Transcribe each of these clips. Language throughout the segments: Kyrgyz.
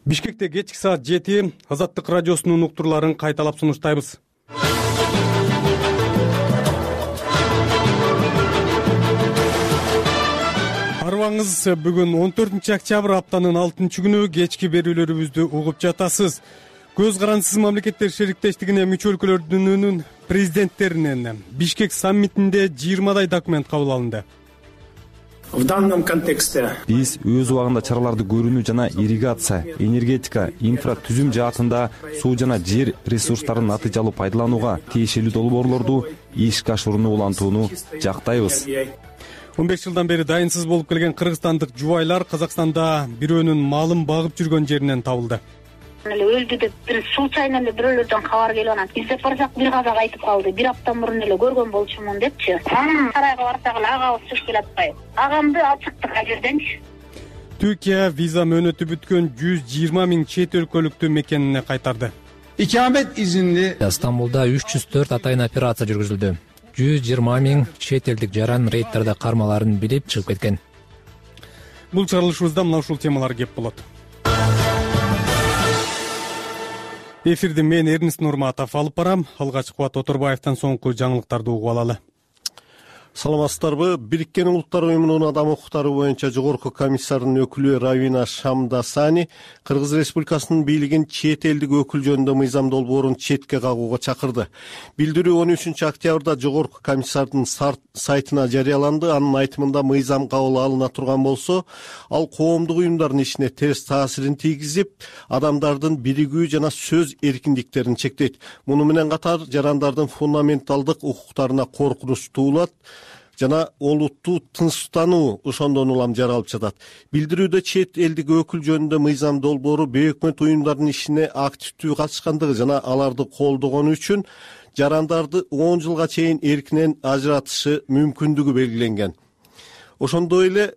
Бишкекте кечки саат 7 Азаттык радиосунун уктурларын кайталап сунуштайбыз. Арыбаңыз, бүгүн 14 октябрь аптанын 6 күнү кечки берүүлөрүбүздү угуп жатасыз. Көз карансыз мамлекеттер шериктештигине мүчө өлкөлөрдүн президенттеринен Бишкек саммитинде 20дай документ кабыл алынды. В данном контексте биз өз убагында чараларды көрүүнү жана ирригация, энергетика, инфратүзүм жаатында суу жана жер ресурстарын натыйжалуу пайдаланууга тиешелүү долбоорлорду ишке ашырууну улантууну жактайбыз. 15 жылдан бери дайынсыз болуп келген кыргызстандык жубайлар Казакстанда бирөөнүн малын багып жүргөн жеринен табылды. Өлдү деп бир случайно эле бирөөлөрдөн кабар келип анан издеп барсак бир казак айтып калды. Бир апта мурун эле көргөн болчумун депчи. Анан сарайга барсак эле агабыз чыгып келип атпайбы. Агамды алып чыктык ал жерденчи. Түркия виза мөөнөтү бүткөн 120 000 чет өлкөлүктү мекенине кайтарды. İkamet izinli Стамбулда 304 атайын операция жүргүзүлдү. 120 000 чет элдик жаран рейдтерде кармаларын билип чыгып кеткен. Бул чыгарылышыбызда мына ушул темалар кеп болот. Эфирди мен Эрнест Нурматов алып барам. Алгач Кубат Оторбаевден соңку жаңылыктарды угуп алалы. Саламатсыздарбы? Бириккен Улуттар уюмунун адам укуктары боюнча жогорку комиссарынын өкүлү Равина Шамдасани Кыргыз Республикасынын бийлигин чет элдик өкүл жөнүндө мыйзам долбоорун четке кагууга чакырды. Билдирүү 13 октябрда жогорку комиссардын сайтына жарыяланды. Анын айтымында мыйзам кабыл алына турган болсо, ал коомдук уюмдардын ишине терс таасирин тийгизип, адамдардын биригүү жана сөз эркиндиктерин чектейт. Муну менен катар жарандардын фундаменталдык укуктарына коркунуч туулат жана олуттуу тынчтануу ошондон улам жаралып жатат. Билдирүүдө чет элдик өкүл жөнүндө мыйзам долбоору бейөкмөт уюмдардын ишине активдүү катышкандыгы жана аларды колдогону үчүн жарандарды 10 жылга чейин эркинен ажыратышы мүмкүндүгү белгиленген. Ошондой эле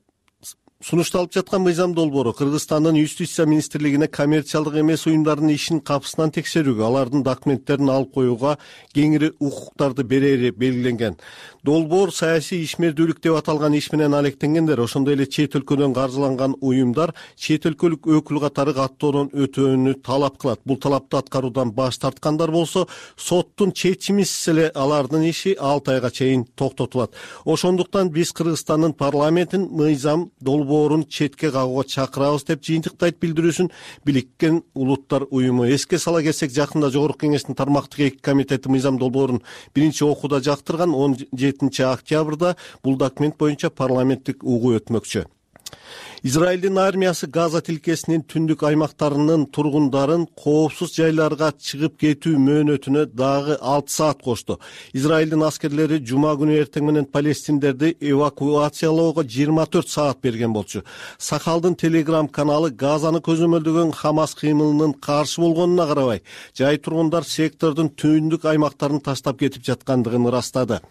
сунушталып жаткан мыйзам долбоору Кыргызстандын Юстиция министрлигине коммерциялык эмес уюмдардын ишин капысынан текшерүүгө, алардын документтерин алып коюуга кеңири укуктарды берери белгиленген. Долбоор саясий ишмердүүлүк деп аталган иш менен алектенгендер, ошондой эле чет өлкөдөн каржыланган уюмдар чет өлкөлүк өкүл катары каттоодон өтүүнү талап кылат. Бул талапты аткаруудан баш тарткандар болсо, соттун чечимисиз эле алардын иши 6 айга чейин токтотулат. Ошондуктан биз Кыргызстандын парламентин мыйзам долбоорун четке кагууга чакырабыз деп жыйынтыктайт билдирүүсүн Бириккен Улуттар уюму. Эске сала кетсек, жакында Жогорку Кеңештин тармактык 2 комитети мыйзам долбоорун биринчи окууда жактырган. 17 октябрда бул документ боюнча парламенттик угуу өтмөкчү. Израилдин армиясы Газа тилкесинин түндүк аймактарынын тургундарын коопсуз жайларга чыгып кетүү мөөнөтүнө дагы 6 саат кошту. Израилдин аскерлери жума күнү эртең менен палестиндерди эвакуациялоого 24 саат берген болчу. Сахалдын Телеграм каналы Газаны көзөмөлдөгөн Хамас кыймылынын каршы болгонуна карабай, жай тургундар сектордун түндүк аймактарын таштап кетип жаткандыгын ырастады.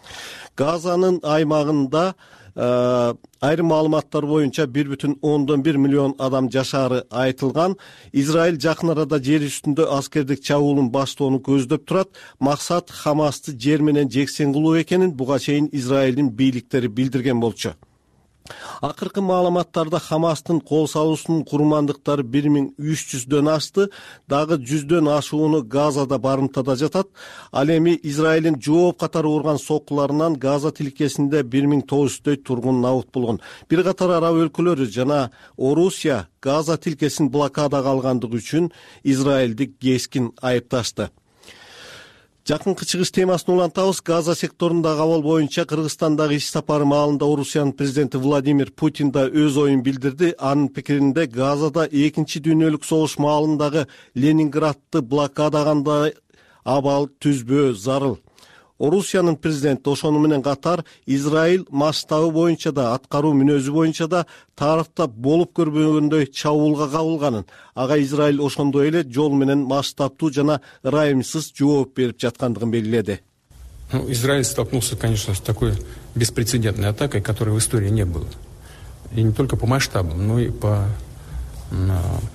Газанын аймагында айрым маалыматтар боюнча 1,1 миллион адам жашаары айтылган. Израиль жакын арада жер үстүндө аскердик чабуулун баштоону көздөп турат. Максат Хамасты жер менен жексен кылуу экенин буга чейин Израилдин бийликтери билдирген болчу. Акыркы маалыматтарда Хамастын кол салуусунун курмандыктары 1300дөн ашты, дагы 100дөн ашууну Газада барымтада жатат. Ал эми Израилдин жооп катары урган соккуларынан Газа тилкесинде 1900дөй тургун набыт болгон. Бир катар араб өлкөлөрү жана Орусия Газа тилкесин блокадага алгандыгы үчүн Израилди кескин айыпташты. Жакынкы чыгыш темасын улантабыз. Газа секторундагы абал боюнча Кыргызстандагы иш сапары маалында Орусиянын президенти Владимир Путин да өз оюн билдирди. Анын пикиринде Газада 2-чи дүйнөлүк согуш маалындагы Ленинградты блокадагандай абал түзбөө зарыл. Орусиянын президенти ошону менен катар Израиль масштабы боюнча да, аткаруу мүнөзү боюнча да тарыхта болуп көрбөгөндөй чабуулга кабылганын, ага Израиль ошондой эле жол менен масштабтуу жана ырайымсыз жооп берип жаткандыгын белгиледи. Израиль столкнулся, конечно, с такой беспрецедентной атакой, которой в истории не было. И не только по масштабам, но и по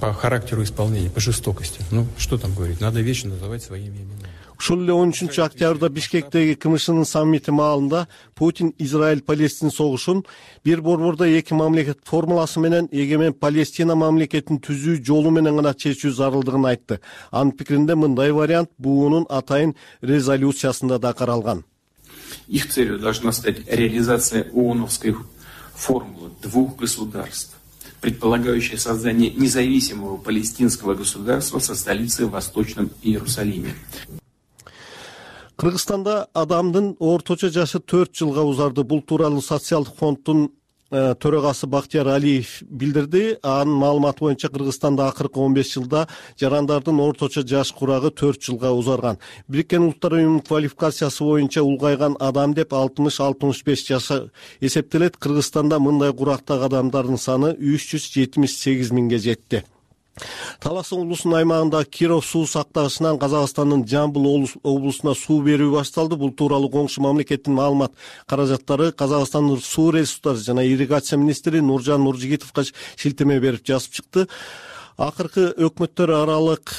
характеру исполнения, по жестокости. Что там говорить? Надо вещи называть своими именами. Ушул эле 13 октябрда Бишкектеги КМШнын саммити маалында Путин Израиль-Палестин согушун бир борбордо эки мамлекет формуласы менен эгемен Палестина мамлекетин түзүү жолу менен гана чечүү зарылдыгын айтты. Анын пикиринде мындай вариант БУнун атайын резолюциясында да каралган. Их целью должна стать реализация ООНовской формулы двух государств, предполагающая создание независимого палестинского государства со столицей в Восточном Иерусалиме. Кыргызстанда адамдын орточо жашы 4 жылга узарды. Бул тууралуу социалдык фонддун төрөгасы Бактияр Алиев билдирди. Анын маалыматы боюнча Кыргызстанда акыркы 15 жылда жарандардын орточо жаш курагы 4 жылга узарган. Бириккен Улуттар Уюмунун квалификациясы боюнча улгайган адам деп 60-65 жаша эсептелет. Кыргызстанда мындай курактагы адамдардын саны 378 миңге жетти. Талас облусунун аймагында Киров суу сактагычынан Казакстандын Жамбыл облусуна суу берүү башталды. Бул тууралуу коңшу мамлекеттин маалымат каражаттары Казакстандын суу ресурстары жана ирригация министри Нуржан Нуржигитовго шилтеме берип жазып чыкты. Акыркы өкмөттөр аралык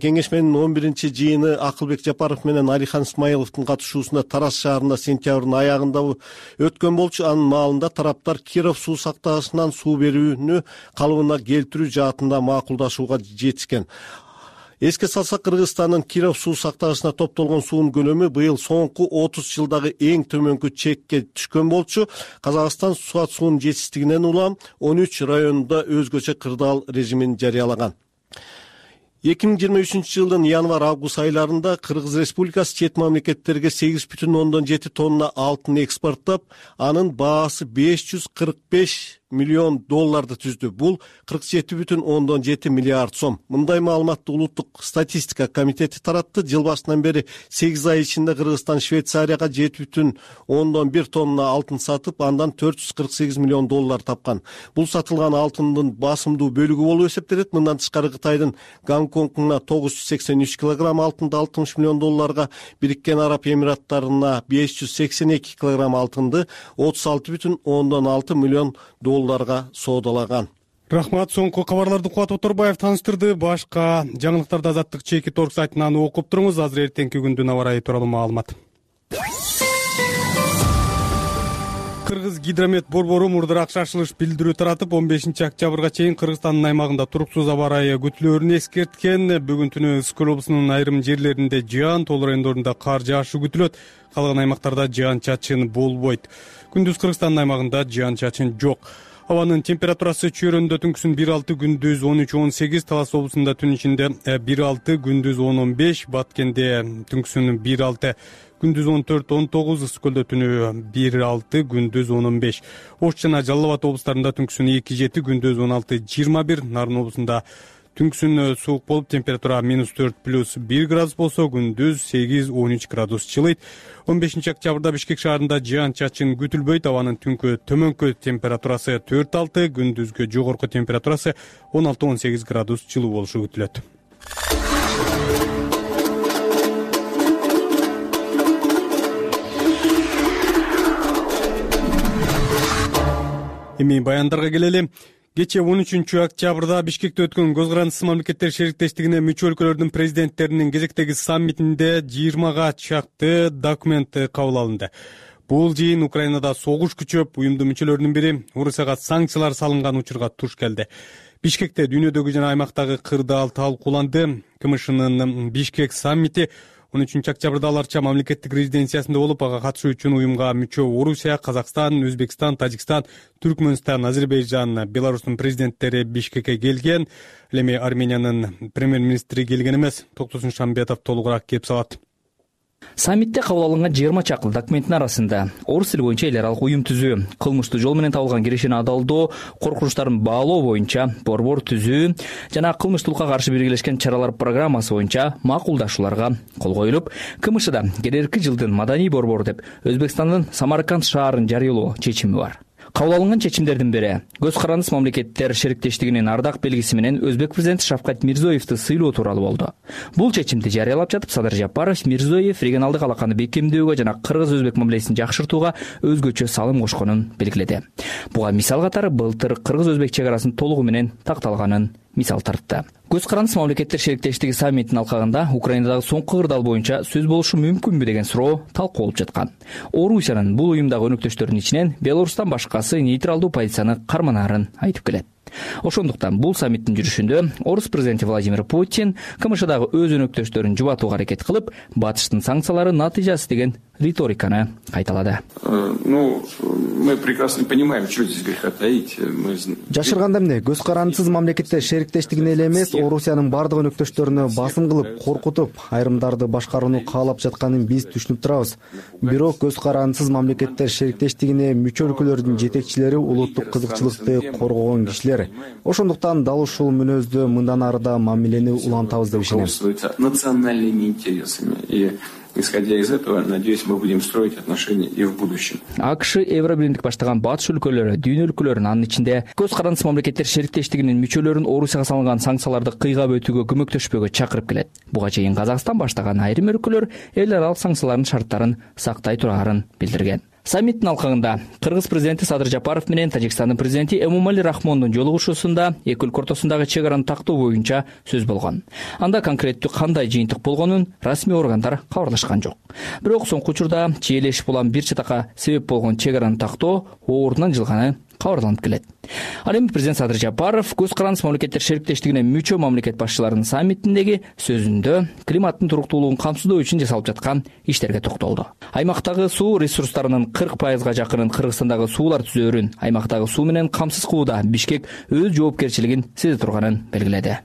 кеңешменин 11-жыйыны Акылбек Жапаров менен Алихан Исмаиловдун катышуусунда Тарас шаарында сентябрдын аягында өткөн болчу. Анын маалында тараптар Киров суу сактагычынан суу берүүнү калыбына келтирүү жаатында макулдашууга жетишкен. Эске салсак, Кыргызстандын Киров суу сактагычына топтолгон суунун көлөмү быйыл соңку 30 жылдагы эң төмөнкү чекке түшкөн болчу. Казакстан суунун жетишсиздигинен улам 13 районунда өзгөчө кырдаал режимин жарыялаган. 2023 жылдын январь-август айларында Кыргыз Республикасы чет мамлекеттерге 8,7 тонна алтын экспорттоп, анын баасы $545 миллион түздү. Бул 47,7 миллиард сом. Мындай маалыматты Улуттук статистика комитети таратты. Жыл башынан бери 8 ай ичинде Кыргызстан Швейцарияга 7,1 тонна алтын сатып, андан $448 миллион тапкан. Бул сатылган алтындын басымдуу бөлүгү болуп эсептелет. Мындан тышкары Кытайдын Гонконгуна 983 килограмм алтынды $60 миллион, Бириккен Араб Эмираттарына 582 килограмм алтынды $36,6 миллион соодалаган. Рахмат. Соңку кабарларды Кубат Оторбаев тааныштырды. Башка жаңылыктарды Азаттык чеки торг сайтынан окуп туруңуз. Азыр эртеңки күндүн аба ырайы тууралуу маалымат. Кыргыз гидромет борбору мурдураак шашылыш билдирүү таратып, 15 октябрга чейин Кыргызстандын аймагында туруксуз аба ырайы күтүлөөрүн эскерткен. Бүгүн түнү Ысык облусунун айрым жерлеринде жаан, тол райондорунда кар жаашы күтүлөт. Калган аймактарда жаан-чачын болбойт. Күндүз Кыргызстандын аймагында жаан-чачын жок. Абанын температурасы чөйрөндө түнкүсүн 1,6, күндүз 13-18, Талас облусунда түн ичинде 1,6, күндүз 10-15, Баткенде түнкүсүн 1,6, күндүз 14-19, Ысык көлдө түнү 1,6, күндүз 10-15. Ош жана Жалал Абад облустарында түнкүсүн 2,7, күндүз 16-21, Нарын облусунда түнкүсүн суук болуп, температура -4+1 градус болсо, күндүз 8-13 градус жылыйт. 15 октябрда Бишкек шаарында жаан-чачын күтүлбөйт. Абанын түнкү төмөнкү температурасы 4,6, күндүзгө жогорку температурасы 16-18 градус жылуу болушу күтүлөт. Эми баяндарга келели. Кечээ 13 октябрда Бишкекте өткөн Көз карандысыз мамлекеттер шериктештигине мүчө өлкөлөрдүн президенттеринин кезектеги саммитинде 20га чакты документ кабыл алынды. Бул жыйын Украинада согуш күчөп, уюмдун мүчөлөрүнүн бири Орусияга санкциялар салынган учурга туш келди. Бишкекте дүйнөдөгү жана аймактагы кырдаал талкууланды. КМШнын Бишкек саммити 13 октябрда аларча мамлекеттик резиденциясында болуп, ага катышуу үчүн уюмга мүчө Орусия, Казакстан, Өзбекстан, Тажикстан, Түркмөнстан, Азербайжан, Беларустун президенттери Бишкекке келген. Эми Армениянын премьер-министри келген эмес. Токтосун Шамбетов толугураак кеп салат. Саммитте кабыл алынган 20 чакты документтин арасында орус тили боюнча эл аралык уюм түзүү, кылмыштуу жол менен табылган кирешени адалдоо, коркунучтарын баалоо боюнча борбор түзүү жана кылмыштуулукка каршы биргелешкен чаралар программасы боюнча макулдашууларга кол коюлуп, КМШда келерки жылдын маданий борбору деп Өзбекстандын Самарканд шаарын жарыялоо чечими бар. Кабыл алынган чечимдердин бири Көз карандысыз мамлекеттер шериктештигинин ардак белгиси менен Өзбек президенти Шавкат Мирзиёевди сыйлоо тууралуу болду. Бул чечимди жарыялап жатып, Садыр Жапаров Мирзиёев регионалдык алаканы бекемдөөгө жана кыргыз-өзбек мамилесин жакшыртууга өзгөчө салым кошконун белгиледи. Буга мисал катары былтыр кыргыз-өзбек чек арасын толугу менен такталганын мисал тартты. Көз карандысыз мамлекеттер шериктештиги саммитинин алкагында Украинадагы соңку кырдаал боюнча сөз болушу мүмкүнбү деген суроо талкуу болуп жаткан. Орусиянын бул уюмдагы өнөктөштөрүнүн ичинен Беларустан башкасы нейтралдуу позицияны карманаарын айтып келет. Ошондуктан бул саммиттин жүрүшүндө орус президенти Владимир Путин КМШдагы өз өнөктөштөрүн жубатууга аракет кылып, батыштын санкциялары натыйжасы деген риториканы кайталады. Мы прекрасно понимаем, что здесь греха таить. Жашырганда эмне, көз карандысыз мамлекеттер шериктештигине эле эмес, Орусиянын бардык өнөктөштөрүнө басым кылып, коркутуп, айрымдарды башкарууну каалап жатканын биз түшүнүп турабыз. Бирок көз карандысыз мамлекеттер шериктештигине мүчө өлкөлөрдүн жетекчилери улуттук кызыкчылыкты коргогон кишилер. Ошондуктан дал ушул мүнөздө мындан ары да мамилени улантабыз деп ишенем. Национальными интересами. И исходя из этого, надеюсь, мы будем строить отношения и в будущем. АКШ Евробиримдик баштаган батыш өлкөлөрү, дүйнө өлкөлөрүнүн анын ичинде көз карандысыз мамлекеттер шериктештигинин мүчөлөрүн Орусияга салынган санкцияларды кыйгап өтүүгө көмөктөшпөгө чакырып келет. Буга чейин Казакстан баштаган айрым өлкөлөр эл аралык санкциялардын шарттарын сактай турарын билдирген. Саммиттин алкагында Кыргыз президенти Садыр Жапаров менен Тажикстандын президенти Эмомали Рахмондун жолугушуусунда эки өлкө ортосундагы чек араны тактоо боюнча сөз болгон. Анда конкреттүү кандай жыйынтык болгонун расмий органдар кабарлашкан жок. Бирок соңку учурда чиелешип улам бир чатакка себеп болгон чек араны тактоо ордунан жылганы кабарланып келет. Ал эми президент Садыр Жапаров көз карандысыз мамлекеттер шериктештигине мүчө мамлекет башчыларынын саммитиндеги сөзүндө климаттын туруктуулугун камсыздоо үчүн жасалып жаткан иштерге токтолду. Аймактагы суу ресурстарынын 40%га жакынын Кыргызстандагы суулар түзөөрүн, аймактагы суу менен камсыз кылууда Бишкек өз жоопкерчилигин сезе турганын белгиледи.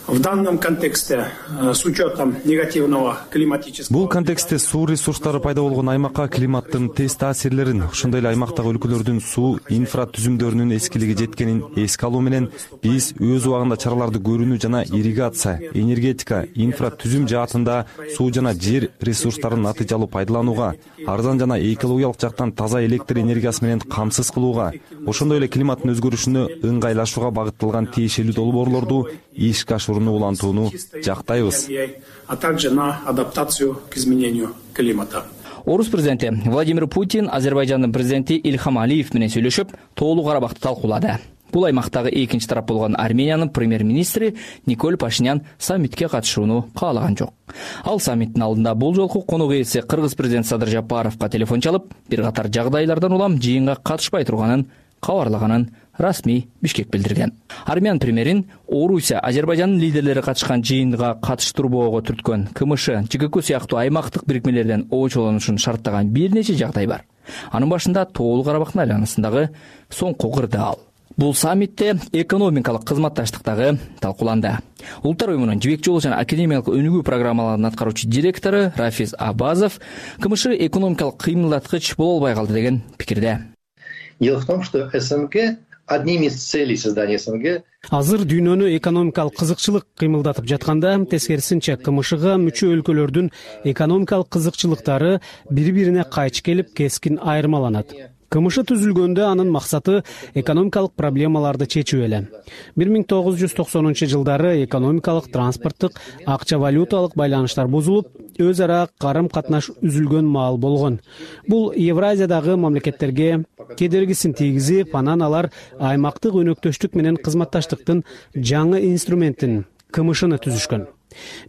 В данном контексте, с учетом негативного климатического... Бул контексте суу ресурстары пайда болгон аймакка климаттын тез таасирлерин, ошондой эле аймактагы өлкөлөрдүн суу инфратүзүмдөрүнүн эскилиги жеткенин эске алуу менен биз өз убагында чараларды көрүүнү жана ирригация, энергетика, инфратүзүм жаатында суу жана жер ресурстарын натыйжалуу пайдаланууга, арзан жана экологиялык жактан таза электр энергиясы менен камсыз кылууга, ошондой эле климаттын өзгөрүшүнө ыңгайлашууга багытталган тиешелүү долбоорлорду ишке ашырууну улантууну жактайбыз. А также на адаптацию к изменению климата. Орус президенти Владимир Путин Азербайжандын президенти Ильхам Алиев менен сүйлөшүп, Тоолуу Карабакты талкуулады. Бул аймактагы экинчи тарап болгон Армениянын премьер-министри Николь Пашинян саммитке катышууну каалаган жок. Ал саммиттин алдында бул жолку конок ээси Кыргыз президенти Садыр Жапаровго телефон чалып, бир катар жагдайлардан улам жыйынга катышпай турганын кабарлаганын расмий Бишкек билдирген. Армян премьерин Орусия, Азербайжандын лидерлери катышкан жыйынга катыштырбоого түрткөн КМШ, ЖКК сыяктуу аймактык бирикмелерден оочолонушун шарттаган бир нече жагдай бар. Анын башында Тоолуу Карабактын айланасындагы соңку кырдаал. Бул саммитте экономикалык кызматташтыктагы талкууланды. Улуттар уюмунун жибек жолу жана академиялык өнүгүү программаларынын аткаруучу директору Рафиз Абазов КМШ экономикалык кыймылдаткыч боло албай калды деген пикирде. Дело в том, что СНГ одними из целей создания СНГ азыр дүйнөнү экономикалык кызыкчылык кыймылдатып жатканда, тескерисинче КМШга мүчө өлкөлөрдүн экономикалык кызыкчылыктары бири-бирине кайчы келип, кескин айырмаланат. КМШ түзүлгөндө анын максаты экономикалык проблемаларды чечүү эле. 1990-жылдары экономикалык, транспорттук, акча валюталык байланыштар бузулуп, өз ара карым-катнаш үзүлгөн маал болгон. Бул Евразиядагы мамлекеттерге кедергисин тийгизип, анан алар аймактык өнөктөштүк менен кызматташтыктын жаңы инструментин КМШны түзүшкөн.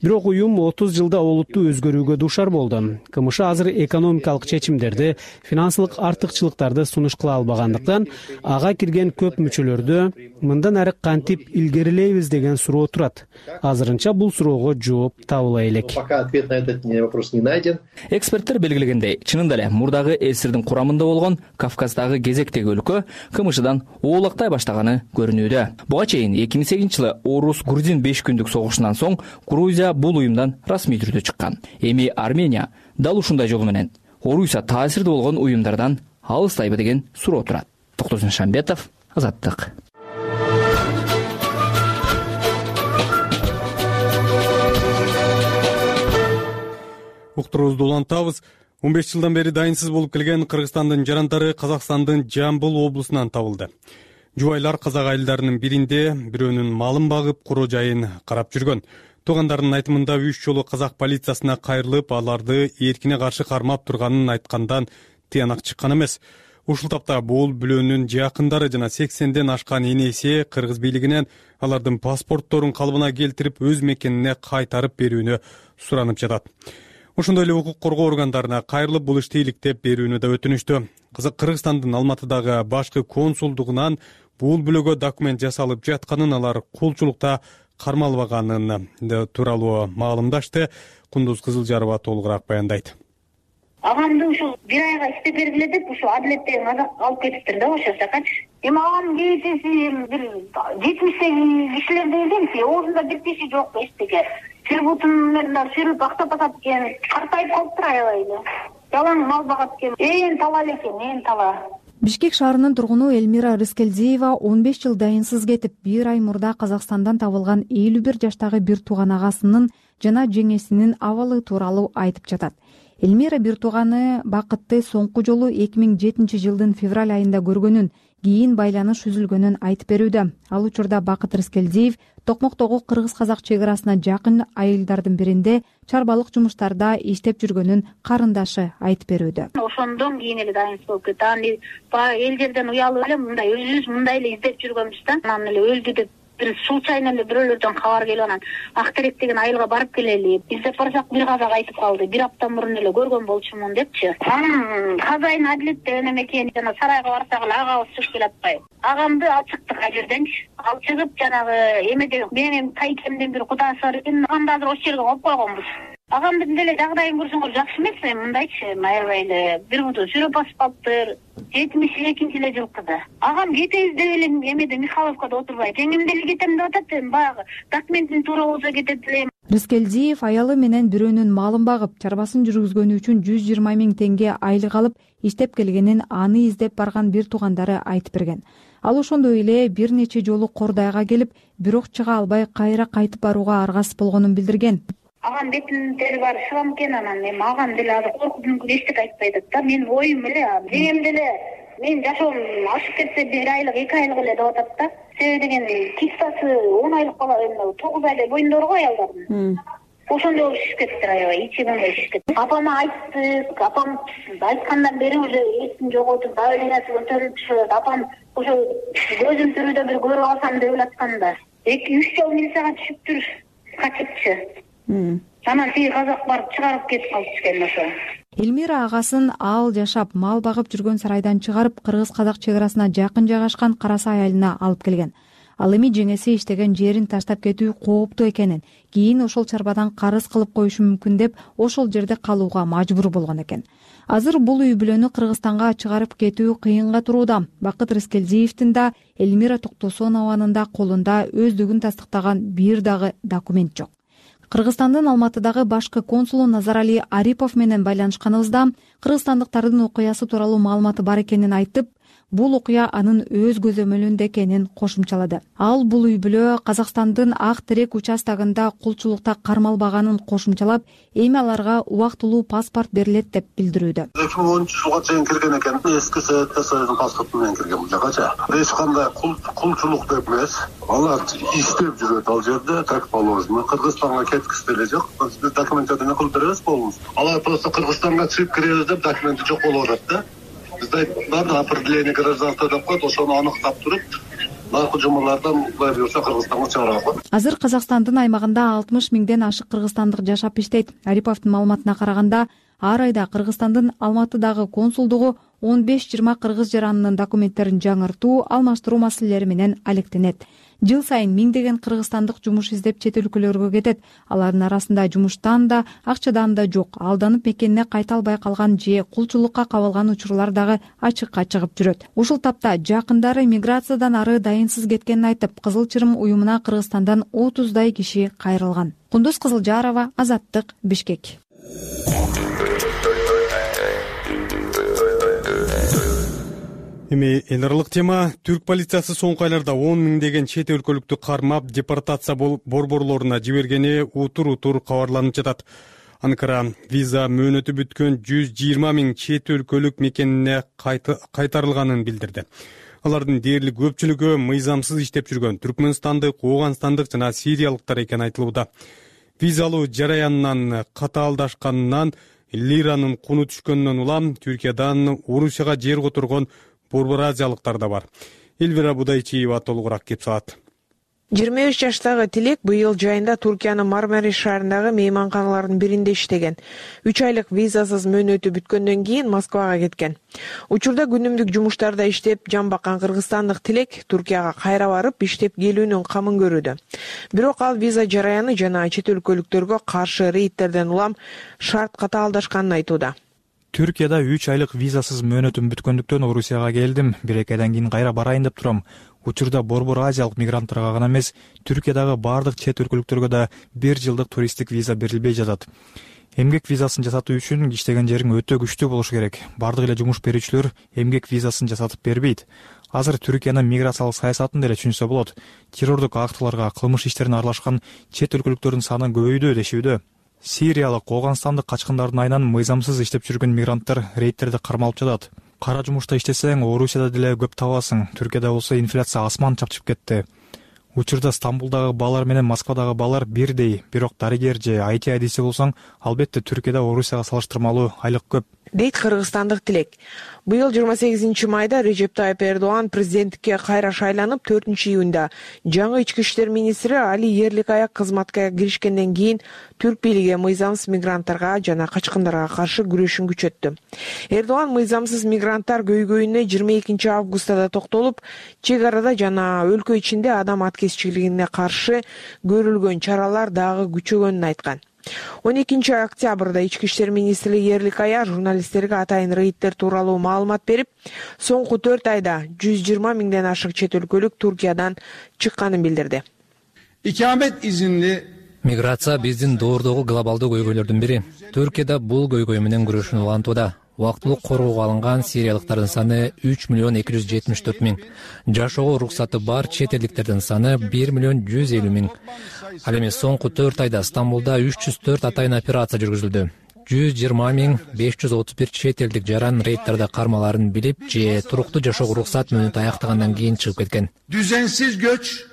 Бирок уюм 30 жылда олуттуу өзгөрүүгө дуушар болду. КМШ азыр экономикалык чечимдерди, финансылык артыкчылыктарды сунуш кыла албагандыктан, ага кирген көп мүчөлөрдө мындан ары кантип илгерилейбиз деген суроо турат. Азырынча бул суроого жооп табыла элек. Пока ответ на этот вопрос не найден. Эксперттер белгилегендей, чынында эле мурдагы СССРдин курамында болгон Кавказдагы кезектеги өлкө КМШдан оолактай баштаганы көрүнүүдө. Буга чейин 2008-жылы Орус-Грузин 5 күндүк согушунан соң Грузия бул уюмдан расмий түрдө чыккан. Эми Армения дал ушундай жол менен Орусия таасирдүү болгон уюмдардан алыстайбы деген суроо турат. Токтосун Шамбетов, Азаттык. Уктуруубузду улантабыз. 15 жылдан бери дайынсыз болуп келген Кыргызстандын жарандары Казакстандын Жамбыл облусунан табылды. Жубайлар казак айылдарынын биринде бирөөнүн малын багып, куроо жайын карап жүргөн. Туугандарынын айтымында 3 жолу казак полициясына кайрылып, аларды эркине каршы кармап турганын айткандан тыянак чыккан эмес. Ушул тапта бул бүлөнүн жакындары жана 80ден ашкан энеси кыргыз бийлигинен алардын паспортторун калыбына келтирип өз мекенине кайтарып берүүнү суранып жатат. Ошондой эле укук коргоо органдарына кайрылып бул ишти иликтеп берүүнү да өтүнүштү. Кыргызстандын Алматыдагы башкы консулдугунан бул бүлөгө документ жасалып жатканын, алар кулчулукта кармалбаганын тууралуу маалымдашты. Кундуз Кызылжарова толугураак баяндайт. Агамды ушул бир айга иштеп бергиле деп ушу адилеттеги казак алып кетиптир да ошо жакачы. Эми агам кээсеси бир 70 кишилердей элемси, оозунда бир тиши жок эчтеке. Сырбутун менен сырып актап атат экен, картайып калыптыр аябай эле. Жалаң мал багат экен, ээн тала экен, ээн тала. Бишкек шаарынын тургуну Элмира Рыскелдиева 15 жыл дайынсыз кетип, бир ай мурда Казакстандан табылган 51 жаштагы бир тууган агасынын жана жеңесинин абалы тууралуу айтып жатат. Элмира бир тууганы Бакытты соңку жолу 2007 жылдын февраль айында көргөнүн, кийин байланыш үзүлгөнүн айтып берүүдө. Ал учурда Бакыт Рыскелдиев Токмоктогу кыргыз-казак чек арасына жакын айылдардын биринде чарбалык жумуштарда иштеп жүргөнүн карындашы айтып берүүдө. Ошондон кийин эле дайынсыз болуп кетти. Аны эл жерден уялып эле мындай өзүбүз мындай эле издеп жүргөнбүз да. Анан эле өлдү деп бир случайно эле бирөөлөрдөн кабар келип анан Актерек деген айылга барып келели. Издеп барсак бир казак айтып калды. Бир апта мурун эле көргөн болчумун депчи. Анан казайын адилетте эме экен жана сарайга барсак эле агабыз чыгып келе атпайбы. Агамды алып чыктык ал жерденчи. Ал чыгып жанагы эмеде менин тайкемден бир кудасы бар экен. Агамды азыр ошол жерге коюп койгонбуз. Агамдын деле жагдайын көрсөңөр жакшы эмес, мындайчы, аябай эле бир буту сүрөп басып калыптыр. 72 эле жылкыда. Агам кетебиз деп эле эмеде Михайловкада отурбайт. Жеңим деле кетем деп атат, баягы документин туура болсо кетет элем. Рыскелдиев аялы менен бирөөнүн малын багып, чарбасын жүргүзгөнү үчүн 120 000 теңге айлык алып, иштеп келгенин аны издеп барган бир туугандары айтып берген. Ал ошондой эле бир нече жолу Кордайга келип, бирок чыга албай кайра кайтып барууга аргасыз болгонун билдирген. Агам бетин тери бар шылам экен, анан эми агам деле азыр коркуп мүмкүн эчтеке айтпай атат да. Мен оюм эле, жеңем деле мен жашоом ашып кетсе 1 айлык 2 айлык эле деп атат да. Себеби деген кистасы 10 айлык бала, 9 айлык боюнда бар го аялдардын. Ошондой болуп шишип кетиптир аябай, ичи мындай шишип кетти. Апама айттык, апам айткандан бери уже эсин жоготуп, давлениясы көтөрүлүп түшөт. Апам ошо көзүм тирүүдө бир көрүп алсам деп элатканда 2-3 жол милицияга түшүптүр, качыпчы. Анан тиги казак барып чыгарып кетип калыптыр экен ошо. Элмира агасын ал жашап мал багып жүргөн сарайдан чыгарып, кыргыз-казак чек арасына жакын жайгашкан Карасай айылына алып келген. Ал эми жеңеси иштеген жерин таштап кетүү кооптуу экенин, кийин ошол чарбадан карыз кылып коюшу мүмкүн деп ошол жерде калууга мажбур болгон экен. Азыр бул үй бүлөнү Кыргызстанга чыгарып кетүү кыйынга турууда. Бакыт Рыскелдиевдин да Элмира Токтосонованын да колунда өздүгүн тастыктаган бир дагы документ жок. Кыргызстандын Алматыдагы башкы консулу Назарали Арипов менен байланышканыбызда кыргызстандыктардын окуясы тууралуу маалыматы бар экенин айтып, бул окуя анын өз көзөмөлүндө экенин кошумчалады. Ал бул үй бүлө Казакстандын Актерек участогунда кулчулукта кармалбаганын кошумчалап, эми аларга убактылуу паспорт берилет деп билдирүүдө. 2010 жылга чейин кирген экен, эски Совет Союзунун паспорту менен кирген бул жакачы. Эч кандай кулчулук деп эмес. Алар иштеп жүрөт ал жерде, так положено. Кыргызстанга кеткиси деле жок. Биз документтерди кылып беребиз болбосун. Алар просто Кыргызстанга чыгып киребиз деп документи жок болуп атат да. Бизде бар определение гражданства деп коет, ошону аныктап туруп, наркы жумалардан кудай буюрса Кыргызстанга чыгарабыз. Азыр Казакстандын аймагында 60 000ден ашык кыргызстандык жашап иштейт. Ариповдун маалыматына караганда, ар айда Кыргызстандын Алматыдагы консулдугу 15-20 кыргыз жаранынын документтерин жаңыртуу, алмаштыруу маселелери менен алектенет. Жыл сайын миңдеген кыргызстандык жумуш издеп чет өлкөлөргө кетет. Алардын арасында жумуштан да, акчадан да жок, алданып мекенине кайта албай калган же кулчулукка кабылган учурлар дагы ачыкка чыгып жүрөт. Ушул тапта жакындары миграциядан ары дайынсыз кеткенин айтып, Кызыл Чырым уюмуна Кыргызстандан 30дай киши кайрылган. Кундуз Кызылжарова, Азаттык, Бишкек. Эми эл аралык тема. Түрк полициясы соңку айларда 10 миңдеген чет өлкөлүктү кармап, депортация борборлоруна жибергени утур кабарланып жатат. Анкара виза мөөнөтү бүткөн 120 000 чет өлкөлүк мекенине кайтарылганын билдирди. Алардын дээрлик көпчүлүгү мыйзамсыз иштеп жүргөн түркмөнстандык, ооганстандык жана сириялыктар экени айтылууда. Виза алуу жараянынан катаалдашканынан лиранын куну түшкөндөн улам Түркиядан Орусияга жер которгон борбор азиялыктар да бар. Элвира Будайчиева толугураак кеп салат. 23 жаштагы Тилек быйыл жайында Туркиянын Мармариш шаарындагы мейманканалардын биринде иштеген. 3 айлык визасыз мөөнөтү бүткөндөн кийин Москвага кеткен. Учурда күнүмдүк жумуштарда иштеп жан баккан кыргызстандык Тилек Туркияга кайра барып иштеп келүүнүн камын көрүүдө. Бирок ал виза жараяны жана чет өлкөлүктөргө каршы рейдтерден улам шарт катаалдашканын айтууда. Түркияда 3 айлык визасыз мөөнөтүм бүткөндүктөн Орусияга келдим. 1-2 айдан кийин кайра барайын деп турам. Учурда борбор азиялык мигранттарга гана эмес, Түркиядагы бардык чет өлкөлүктөргө да 1 жылдык туристтик виза берилбей жатат. Эмгек визасын жасатуу үчүн иштеген жериң өтө күчтүү болушу керек. Бардык эле жумуш берүүчүлөр эмгек визасын жасатып бербейт. Азыр Түркиянын миграциялык саясатын деле түшүнсө болот. Террордук актыларга, кылмыш иштерине аралашкан чет өлкөлүктөрдүн саны көбөйдү дешүүдө. Сириялык, Ооганстандык качкындардын айынан мыйзамсыз иштеп жүргөн мигранттар рейдтерде кармалып жатат. Кара жумушта иштесең, Орусияда деле көп табасың. Түркияда болсо инфляция асман чапчып кетти. Учурда Стамбулдагы баалар менен Москвадагы баалар бирдей, бирок дарыгер же IT адиси болсоң, албетте Түркияда Орусияга салыштырмалуу айлык көп. Дейт кыргызстандык Тилек. Быйыл 28 майда Режеп Тайып Эрдоган президенттикке кайра шайланып, 4-июнда жаңы ички иштер министри Али Ерликаяк кызматка киришкенден кийин түрк бийлиги мыйзамсыз мигранттарга жана качкындарга каршы күрөшүн күчөттү. Эрдоган мыйзамсыз мигранттар көйгөйүнө 22 августта да токтолуп, чек арада жана өлкө ичинде адам аткезчилигине каршы көрүлгөн чаралар дагы күчөгөнүн айткан. 12 октябрда ички иштер министри Ерликая журналисттерге атайын рейдтер тууралуу маалымат берип, соңку 4 айда 120 миңден ашык чет өлкөлүк Туркиядан чыкканын билдирди. İkamet izinli Миграция биздин доордогу глобалдуу көйгөйлөрдүн бири. Түркияда бул көйгөй менен күрөшүүнү улантууда. Убактылык коргоого алынган сириялыктардын саны 3,274 миң. Жашоого уруксаты бар чет элдиктердин саны 1,150 миң. Ал эми соңку 4 айда Стамбулда 304 атайын операция жүргүзүлдү. 120,531 чет элдик жаран рейдтерде кармаларын билип же туруктуу жашоого уруксат мөөнөтү аяктагандан кийин чыгып кеткен. Düzensiz göç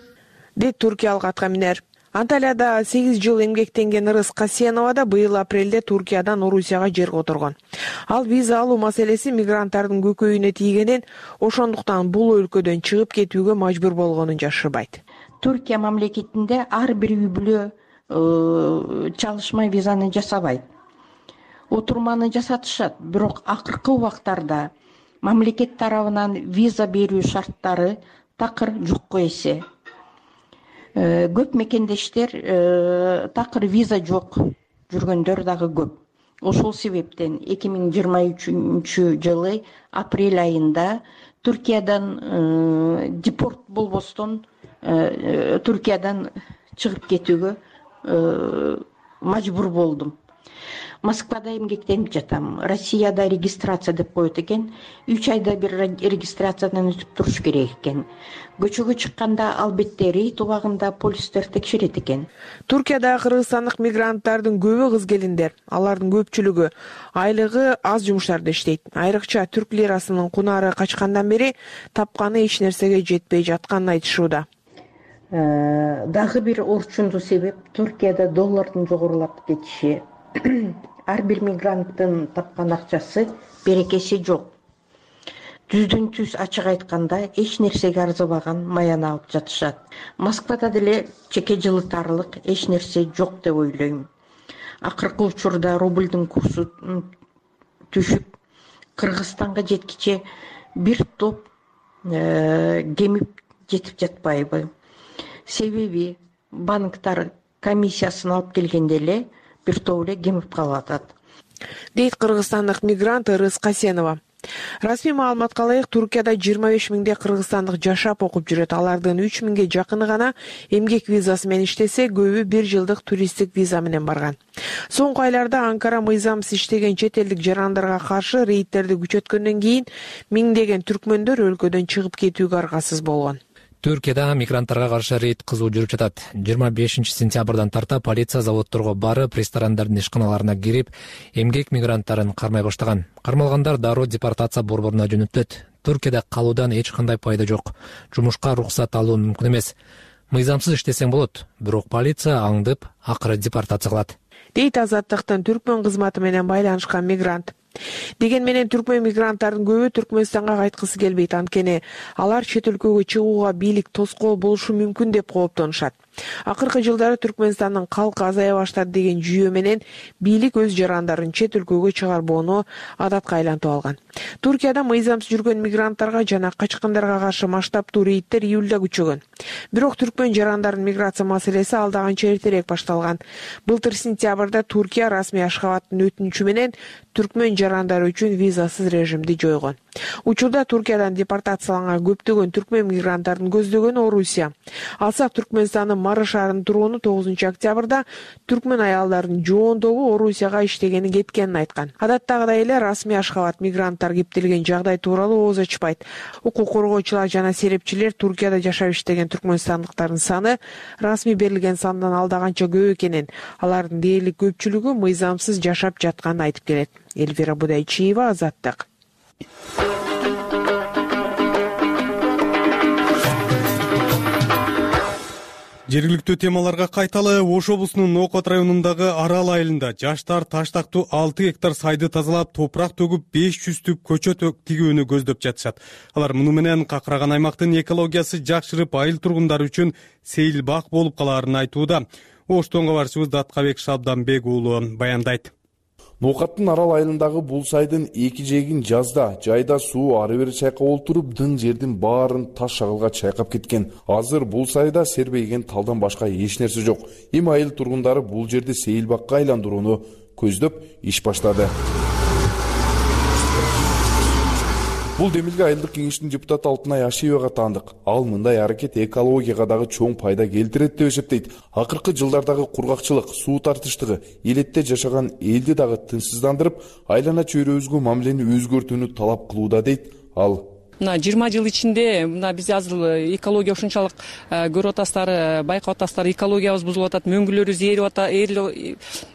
дейт туркиялык аткаминер. Анталияда 8 жыл эмгектенген Ырыс Касенова да быйыл апрелде Туркиядан Орусияга жер которгон. Ал виза алуу маселеси мигранттардын көкөйүнө тийгенин, ошондуктан бул өлкөдөн чыгып кетүүгө мажбур болгонун жашырбайт. Түркия мамлекетинде ар бир үй бүлө чалышмай визаны жасабайт. Отурманы жасатышат, бирок акыркы убактарда мамлекет тарабынан виза берүү шарттары такыр жокко эсе. Көп мекендештер такыр виза жок жүргөндөр дагы көп. Ошол себептен 2023 жылы апрель айында Түркиядан депорт болбостон Түркиядан чыгып кетүүгө мажбур болдум. Москвада эмгектенип жатам. Россияда регистрация деп коет экен. 3 айда бир регистрациядан өтүп туруш керек экен. Көчөгө чыкканда албетте рейд убагында полистер текшерет экен. Туркияда кыргызстандык мигранттардын көбү кыз келиндер. Алардын көпчүлүгү айлыгы аз жумуштарда иштейт. Айрыкча түрк лирасынын кунары качкандан бери тапканы эч нерсеге жетпей жатканын айтышууда. Дагы бир орчундуу себеп Туркияда доллардын жогорулап кетиши. Ар бир мигранттын тапкан акчасы берекеси жок. Түздөн түз ачык айтканда эч нерсеге арзыбаган маяны алып жатышат. Москвада деле чеке жылытарлык эч нерсе жок деп ойлойм. Акыркы учурда рубльдин курсу түшүп, Кыргызстанга жеткиче бир топ кемип жетип жатпайбы? Себеби банктар комиссиясын алып келгенде эле бир топ эле кемип калып атат. Дейт кыргызстандык мигрант Ырыс Касенова. Расмий маалыматка ылайык, Туркияда 25 миңдей кыргызстандык жашап окуп жүрөт. Алардын 3 миңге жакыны гана эмгек визасы менен иштесе, көбү 1 жылдык туристтик виза менен барган. Соңку айларда Анкара мыйзамсыз иштеген чет элдик жарандарга каршы рейдтерди күчөткөндөн кийин миңдеген түркмөндөр өлкөдөн чыгып кетүүгө аргасыз болгон. Түркияда мигранттарга каршы рейд кызуу жүрүп жатат. 25 сентябрдан тарта полиция заводдорго барып, ресторандардын ишканаларына кирип, эмгек мигранттарын кармай баштаган. Кармалгандар дароо депортация борборуна жөнөтүлөт. Түркияда калуудан эч кандай пайда жок. Жумушка уруксат алуу мүмкүн эмес. Мыйзамсыз иштесең болот, бирок полиция аңдып, акыры депортация кылат. дейт Азаттыктын түркмөн кызматы менен байланышкан мигрант. Деген менен түркмөн мигранттардын көбү Түркмөнстанга кайткысы келбейт, анткени алар чет өлкөгө чыгууга бийлик тоскоол болушу мүмкүн деп кооптонушат. Акыркы жылдары Түркмөнстандын калкы азая баштады деген жүйө менен бийлик өз жарандарын чет өлкөгө чыгарбоону адатка айлантып алган. Туркияда мыйзамсыз жүргөн мигранттарга жана качкындарга каршы масштабтуу рейдтер июлда күчөгөн. Бирок түркмөн жарандардын миграция маселеси алда канча эртерээк башталган. Былтыр сентябрда Туркия расмий Ашхабадтын өтүнүчү менен түркмөн жарандары үчүн визасыз режимди жойгон. Учурда Туркиядан депортацияланган көптөгөн түркмөн мигранттардын көздөгөнү Орусия. Алсак Түркмөнстандын Мары шаарынын тургуну 9 октябрда түркмөн аялдардын жоондогу Орусияга иштегени кеткенин айткан. Адаттагыдай эле расмий Ашхабад мигранттар кептелген жагдай тууралуу ооз ачпайт. Укук коргоочулар жана серепчилер Туркияда жашап иштеген түркмөнстандыктардын саны расмий берилген сандан алда канча көп экенин, алардын дээрлик көпчүлүгү мыйзамсыз жашап жатканын айтып келет. Эльвира Будайчиева, Азаттык. Жергиликтүү темаларга кайталы. Ош облусунун Нокот районундагы Арал айылында жаштар таштактуу 6 гектар сайды тазалап, топурак төгүп 500 түп көчөт тигүүнү көздөп жатышат. Алар муну менен какыраган аймактын экологиясы жакшырып, айыл тургундары үчүн сейил бак болуп калаарын айтууда. Оштон кабарчыбыз Даткабек Шабданбек уулу баяндайт. Нокаттын Арал айылындагы бул сайдын эки жээгин жазда, жайда суу ары бери чайкап олтуруп, дың жердин баарын таш шагылга чайкап кеткен. Азыр бул сайда сербейген талдан башка эч нерсе жок. Эми айыл тургундары бул жерди сейилбакка айландырууну көздөп иш баштады. Бул демилге айылдык кеңештин депутаты Алтынай Ашиевага таандык. Ал мындай аракет экологияга дагы чоң пайда келтирет деп эсептейт. Акыркы жылдардагы кургакчылык, суу тартыштыгы элетте жашаган элди дагы тынчсыздандырып, айлана чөйрөбүзгө мамилени өзгөртүүнү талап кылууда дейт ал. Мына 20 жыл ичинде биз азыр экология ушунчалык көрүп атасыздар, байкап атасыздар, экологиябыз бузулуп атат, мөңгүлөрүбүз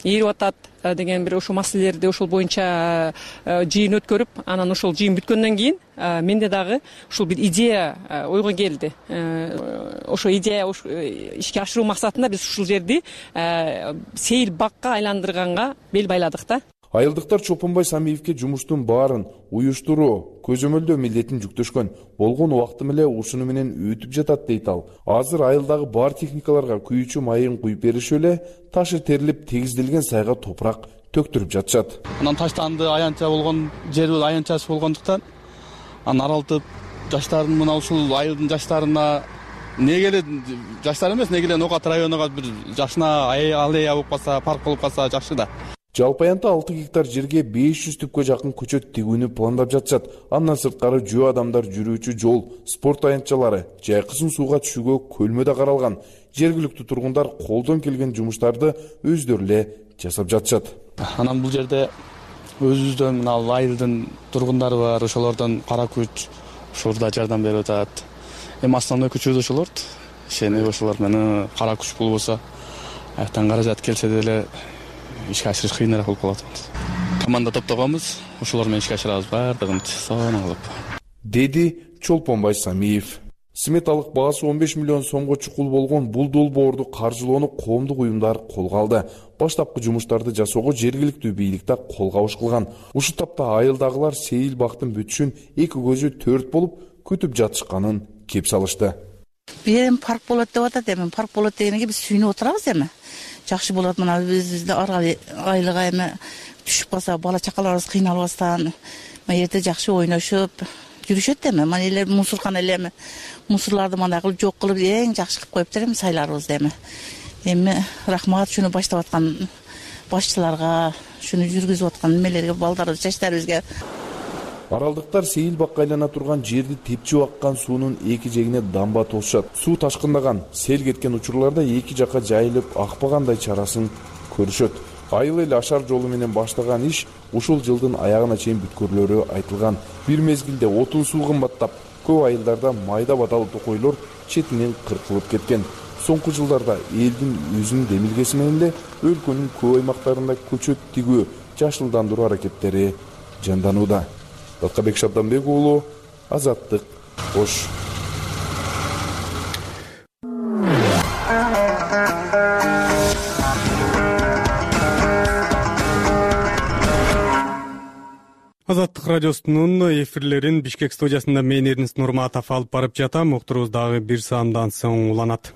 ээрип атат деген бир ошол маселелерди ошол боюнча жыйын өткөрүп, анан ошол жыйын бүткөндөн кийин менде дагы ушул бир идея ойго келди. Ошо идея ишке ашыруу максатында биз ушул жерди сейил бакка айландырганга бел байладык да. Айылдыктар Чолпонбай Самиевке жумуштун баарын уюштуруу, көзөмөлдөө милдетин жүктөшкөн. Болгон убакты эле ушуну менен өтүп жатат дейт ал. Азыр айылдагы бар техникаларга күйүүчү майын куюп беришип эле, ташы терилип тегизделген сайга топурак төктүрүп жатышат. Анан таштанды аянча болгон жерибиз аянчасы болгондуктан анан аралтып жаштардын мына ушул айылдын жаштарына негеле жаштар эмес, негеле Нокат районуга бир жашына аллея болуп калса, парк болуп калса жакшы да. Жалпы аянтта 6 гектар жерге 500 түпкө жакын көчөт тигүүнү пландап жатышат. Андан сырткары жөө адамдар жүрүүчү жол, спорт аянтчалары, жайкысын сууга түшүүгө көлмө да каралган. Жергиликтүү тургундар колдон келген жумуштарды өздөрү эле жасап жатышат. Анан бул жерде өзүбүздөн мына айылдын тургундары бар, ошолордон кара күч ушурда жардам берип атат. Эми основной күчүбүз ошолорду. Ишени ошолор менен кара күч болбосо, аяктан каражат келсе деле ишке ашырыш кыйыныраак болуп калат. Команда топтогонбуз, ошолор менен ишке ашырабыз баардыгын сонун кылып, деди Чолпонбай Самиев. Сметалык баасы 15 миллион сомго чукул болгон бул долбоорду каржылоону коомдук уюмдар колго алды. Баштапкы жумуштарды жасоого жергиликтүү бийлик да кол кабыш кылган. Ушул тапта айылдагылар сейил бактын бүтүшүн эки көзү төрт болуп күтүп жатышканын кеп салышты. Эми парк болот деп атат, эми парк болот дегенге биз сүйүнүп отурабыз эми. Жакшы болот, мына бизде айлыга эми түшүп калса, бала чакаларыбыз кыйналбастан, эрте жакшы ойношуп жүрүшөт эми. Мына эле мусорканы эле эми мусорларды мындай кылып жок кылып эң жакшы кылып коюптур эми сайларыбызды эми. Эми рахмат шуну баштап аткан башчыларга, шуну жүргүзүп аткан немелерге, балдарыбыз, жаштарыбызга. Аралдыктар сейил бакка айлана турган жерди тепчип аккан суунун эки жегине дамба толушат. Суу ташкындаган, сел кеткен учурларда эки жакка жайылып акпагандай чарасын көрүшөт. Айыл эл ашар жолу менен баштаган иш ушул жылдын аягына чейин бүткөрүлөрү айтылган. Бир мезгилде отун суу кымбаттап, көп айылдарда майда батал токойлор четинен кыркылып кеткен. Соңку жылдарда элдин өзүнүн демилгеси менен эле өлкөнүн көп аймактарында көчөт тигүү, жашылдандыруу аракеттери жанданууда. Даткабек Шабданбек уулу, Азаттык, Ош. Азаттык радиосунун эфирлерин Бишкек студиясында мен Эрнис Нурматов алып барып жатам. Уктурубуз дагы бир саамдан соң уланат.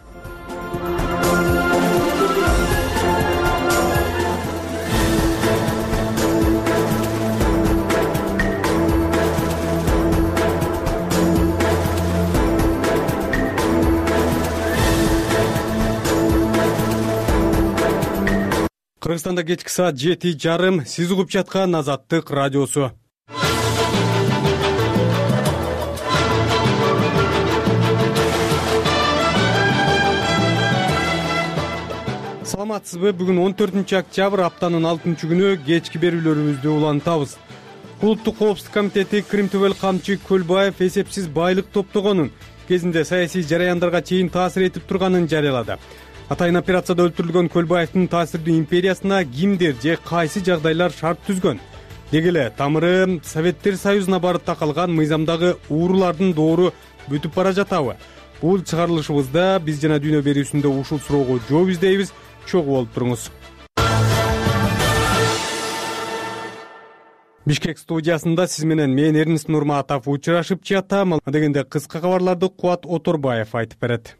Кыргызстанда кечки саат 7:30. Сиз угуп жаткан Азаттык радиосу. Саламатсызбы? Бүгүн 14 октябрь, аптанын 6-күнү кечки берүүлөрүбүздү улантабыз. Улуттук коопсуздук комитети Крим Төбөл Камчы Көлбаев эсепсиз байлык топтогонун кезинде саясий жараяндарга чейин таасир этип турганын жарыялады. Атайын операцияда өлтүрүлгөн Көлбаевдин таасирдүү империясына кимдер же кайсы жагдайлар шарт түзгөн? Деги эле тамыры Советтер Союзуна барып такалган мыйзамдагы уурулардын доору бүтүп бара жатабы? Бул чыгарылышыбызда биз жана дүйнө берүүсүндө ушул суроого жооп издейбиз. Чогуу болуп туруңуз. Бишкек студиясында сиз менен мен Эрнис Нурматов учурашып жатам. Дегенде кыска кабарларды Кубат Оторбаев айтып берет.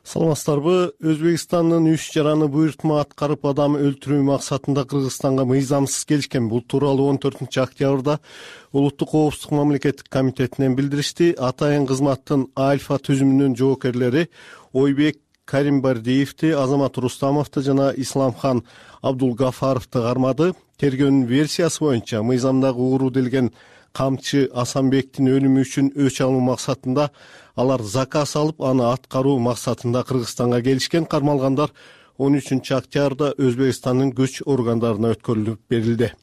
Саламатсыздарбы? Өзбекстандын 3 жараны буйртма аткарып адам өлтүрүү максатында Кыргызстанга мыйзамсыз келишкен. Бул тууралуу 14 октябрда Улуттук коопсуздук мамлекеттик комитетинен билдиришти. Атайын кызматтын Альфа түзүмүнүн жоокерлери Ойбек Каримбардиевди, Азамат Рустамовду жана Исламхан Абдулгафаровду кармады. Тергөөнүн версиясы боюнча мыйзамдагы ууру делген Камчы Асанбектин өлүмү үчүн өч алуу максатында алар заказ алып, аны аткаруу максатында Кыргызстанга келишкен. Кармалгандар 13 октябрда Өзбекстандын күч органдарына өткөрүлүп берилди.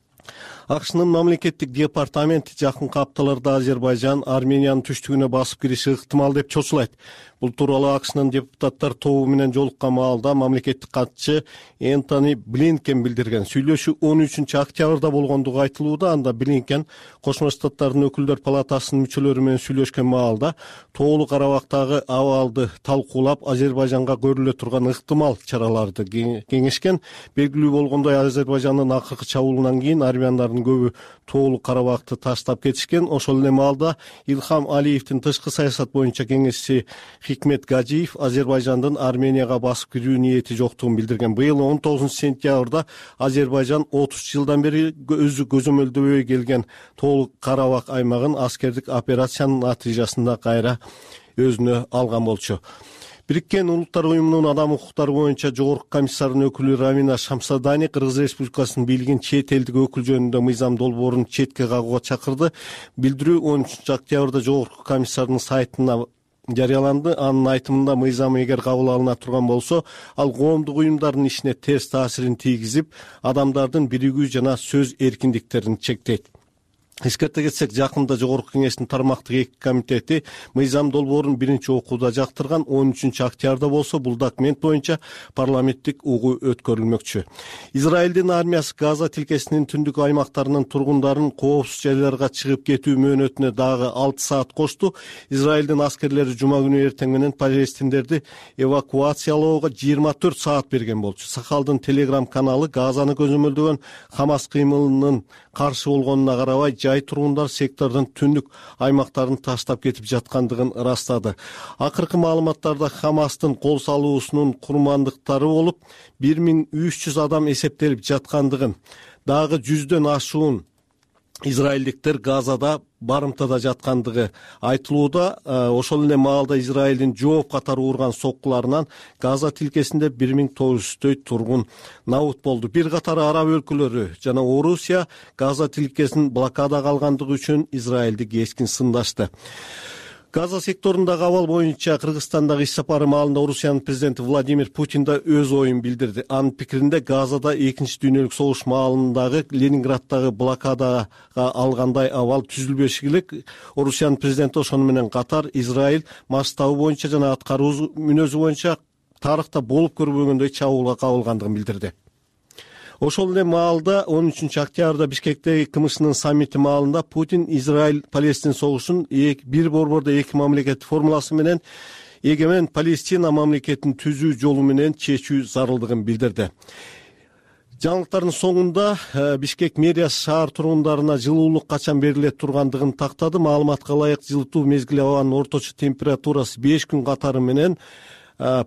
АКШнын мамлекеттик департаменти жакынкы апталарда Азербайжан Армениянын түштүгүнө басып кириши ыктымал деп чочулайт. Бул тууралуу АКШнын депутаттар тобу менен жолуккан маалда мамлекеттик катчы Энтони Блинкен билдирген. Сүйлөшүү 13 октябрда болгондугу айтылууда. Анда Блинкен Кошмо Штаттардын өкүлдөр палатасынын мүчөлөрү менен сүйлөшкөн маалда Тоолуу Карабактагы абалды талкуулап, Азербайжанга көрүлө турган ыктымал чараларды кеңешкен. Белгилүү болгондой, Азербайжандын акыркы чабуулунан кийин армяндардын көбү Тоолуу Карабакты таштап кетишкен. Ошол эле маалда Илхам Алиевдин тышкы саясат боюнча кеңешчиси Хикмет Гаджиев Азербайжандын Арменияга басып кирүү ниети жоктугун билдирген. Быйыл 19 сентябрда Азербайжан 30 жылдан бери өзү көзөмөлдөбөй келген Тоолуу Карабак аймагын аскердик операциянын натыйжасында кайра өзүнө алган болчу. Бириккен Улуттар уюмунун адам укуктары боюнча жогорку комиссарынын өкүлү Рамина Шамсадани Кыргыз Республикасынын бийлигин чет элдик өкүл жөнүндө мыйзам долбоорун четке кагууга чакырды. Билдирүү 13 октябрда жогорку комиссарынын сайтына жарыяланды. Анын айтымында мыйзам эгер кабыл алына турган болсо, ал коомдук уюмдардын ишине терс таасирин тийгизип, адамдардын биригүү жана сөз эркиндиктерин чектейт. Эскерте кетсек, жакында Жогорку кеңештин тармактык 2 комитети мыйзам долбоорун биринчи окууда жактырган. 13 октябрда болсо бул документ боюнча парламенттик угуу өткөрүлмөкчү. Израилдин армиясы Газа тилкесинин түндүк аймактарынын тургундарын коопсуз жайларга чыгып кетүү мөөнөтүнө дагы 6 саат кошту. Израилдин аскерлери жума күнү эртең менен палестиндерди эвакуациялоого 24 саат берген болчу. Сахалдын Телеграм каналы Газаны көзөмөлдөгөн Хамас кыймылынын каршы болгонуна карабай, жай тургундар сектордун түндүк аймактарын таштап кетип жаткандыгын ырастады. Акыркы маалыматтарда Хамастын кол салуусунун курмандыктары болуп 1300 адам эсептелип жаткандыгын, дагы 100дөн ашуун израилдиктер Газада барымтада жаткандыгы айтылууда. Ошол эле маалда Израилдин жооп катары урган соккуларынан Газа тилкесинде 1900 тургун набут болду. Бир катар араб өлкөлөрү жана Орусия Газа тилкесин блокадага алгандыгы үчүн Израилди кескин сындашты. Газа секторундагы абал боюнча Кыргызстандагы иш сапары маалында Орусиянын президенти Владимир Путин да өз оюн билдирди. Анын пикиринде Газада 2 дүйнөлүк согуш маалындагы Ленинграддагы блокадага алгандай абал түзүлбеши керек. Орусиянын президенти ошону менен катар Израиль масштабы боюнча жана аткаруу мүнөзү боюнча тарыхта болуп көрбөгөндөй чабуулга кабылгандыгын билдирди. Ошол эле маалда 13 октябрда Бишкектеги КМШнын саммити маалында Путин Израиль-Палестин согушун бир борбордо 2 мамлекет формуласы менен эгемен Палестина мамлекетин түзүү жолу менен чечүү зарылдыгын билдирди. Жаңылыктардын соңунда Бишкек мэриясы шаар тургундарына жылуулук качан берилет тургандыгын тактады. Маалыматка ылайык жылытуу мезгили абанын орточо температурасы 5 күн катары менен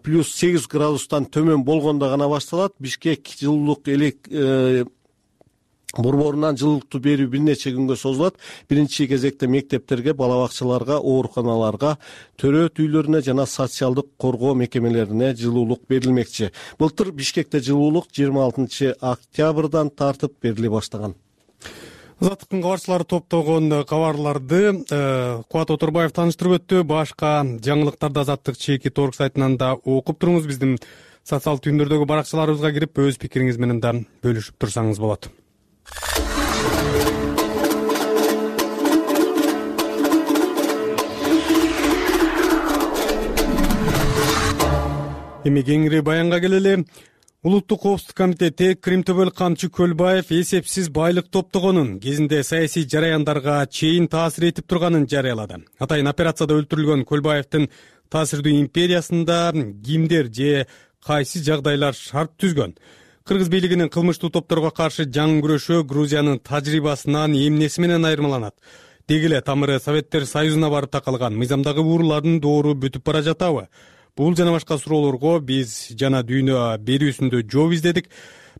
плюс 8 градустан төмөн болгондо гана башталат. Бишкек жылуулук борборунан жылуулукту берүү бир нече күнгө созулат. Биринчи кезекте мектептерге, бала бакчаларга, ооруканаларга, төрөт үйлөрүнө жана социалдык коргоо мекемелерине жылуулук берилмекчи. Былтыр Бишкекте жылуулук 26 октябрдан тартып бериле баштаган. Азаттыктын кабарчылары топтогон кабарларды Кубат Оторбаев тааныштырып өттү. Башка жаңылыктарды Азаттык чеки торг сайтынан да окуп туруңуз. Биздин социалдык түйүндөрдөгү баракчаларыбызга кирип өз пикириңиз менен да бөлүшүп турсаңыз болот. Эми кеңири баянга келели. Улуттук коопсуздук комитети Кримтөбөл Камчы Көлбаев эсепсиз байлык топтогонун, кезинде саясий жараяндарга чейин таасир этип турганын жарыялады. Атайын операцияда өлтүрүлгөн Көлбаевдин таасирдүү империясында кимдер же кайсы жагдайлар шарт түзгөн? Кыргыз бийлигинин кылмыштуу топторго каршы жаңы күрөшөө Грузиянын тажрыйбасынан эмнеси менен айырмаланат? Деги эле тамыры Советтер Союзуна барып такалган мыйзамдагы уурулардын доору бүтүп бара жатабы? Бул жана башка суроолорго биз жана дүйнө берүүсүндө жооп издедик.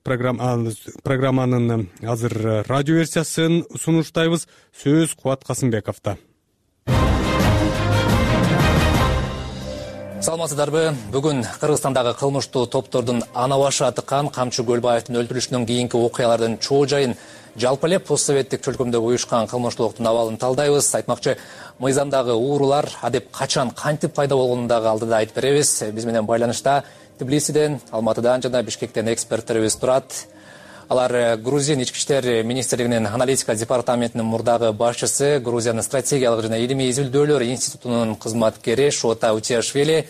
Программанын азыр радио версиясын сунуштайбыз. Сөз Кубат Касымбековдо. Саламатсыздарбы? Бүгүн Кыргызстандагы кылмыштуу топтордун ана башы тыккан Камчы Көлбаевдин өлтүрүшүнөн кийинки окуялардын чоо жайын, жалпы эле постсоветтик чөлкөмдө уюшкан кылмыштуулуктун абалын талдайбыз. Айтмакчы, мыйзамдагы уурулар адеп качан, кантип пайда болгонун дагы алдыда айтып беребиз. Биз менен байланышта Тбилисиден, Алматыдан жана Бишкектен эксперттерибиз турат. Алар Грузиянын ички иштер министрлигинин аналитика департаментинин мурдагы башчысы, Грузиянын стратегиялык жана илимий изилдөөлөр институтунун кызматкери Шота Утиашвили,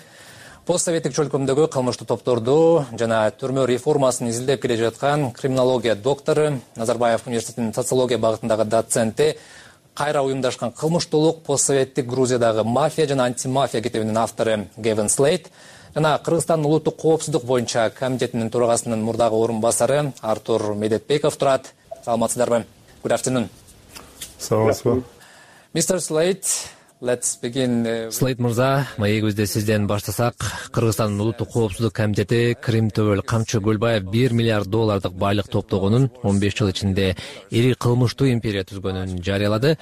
постсоветтик чөлкөмдөгү кылмыштуу топторду жана түрмө реформасын изилдеп келе жаткан криминология доктору, Назарбаев университетинин социология багытындагы доценти, кайра уюмдашкан кылмыштуулук, постсоветтик Грузиядагы мафия жана антимафия китебинин автору Гевин Слейт, жана Кыргызстандын улуттук коопсуздук боюнча комитетинин төрагасынын мурдагы орун басары Артур Медетбеков турат. Саламатсыздарбы? Good afternoon. Саламатсызбы? Mr. Slate, let's begin. Слейт мырза, маегибизде сизден баштасак, Кыргызстандын улуттук коопсуздук комитети Кримтөбөл Камчы Көлбаев $1 миллиард байлык топтогонун, 15 жыл ичинде ири кылмыштуу империя түзгөнүн жарыялады.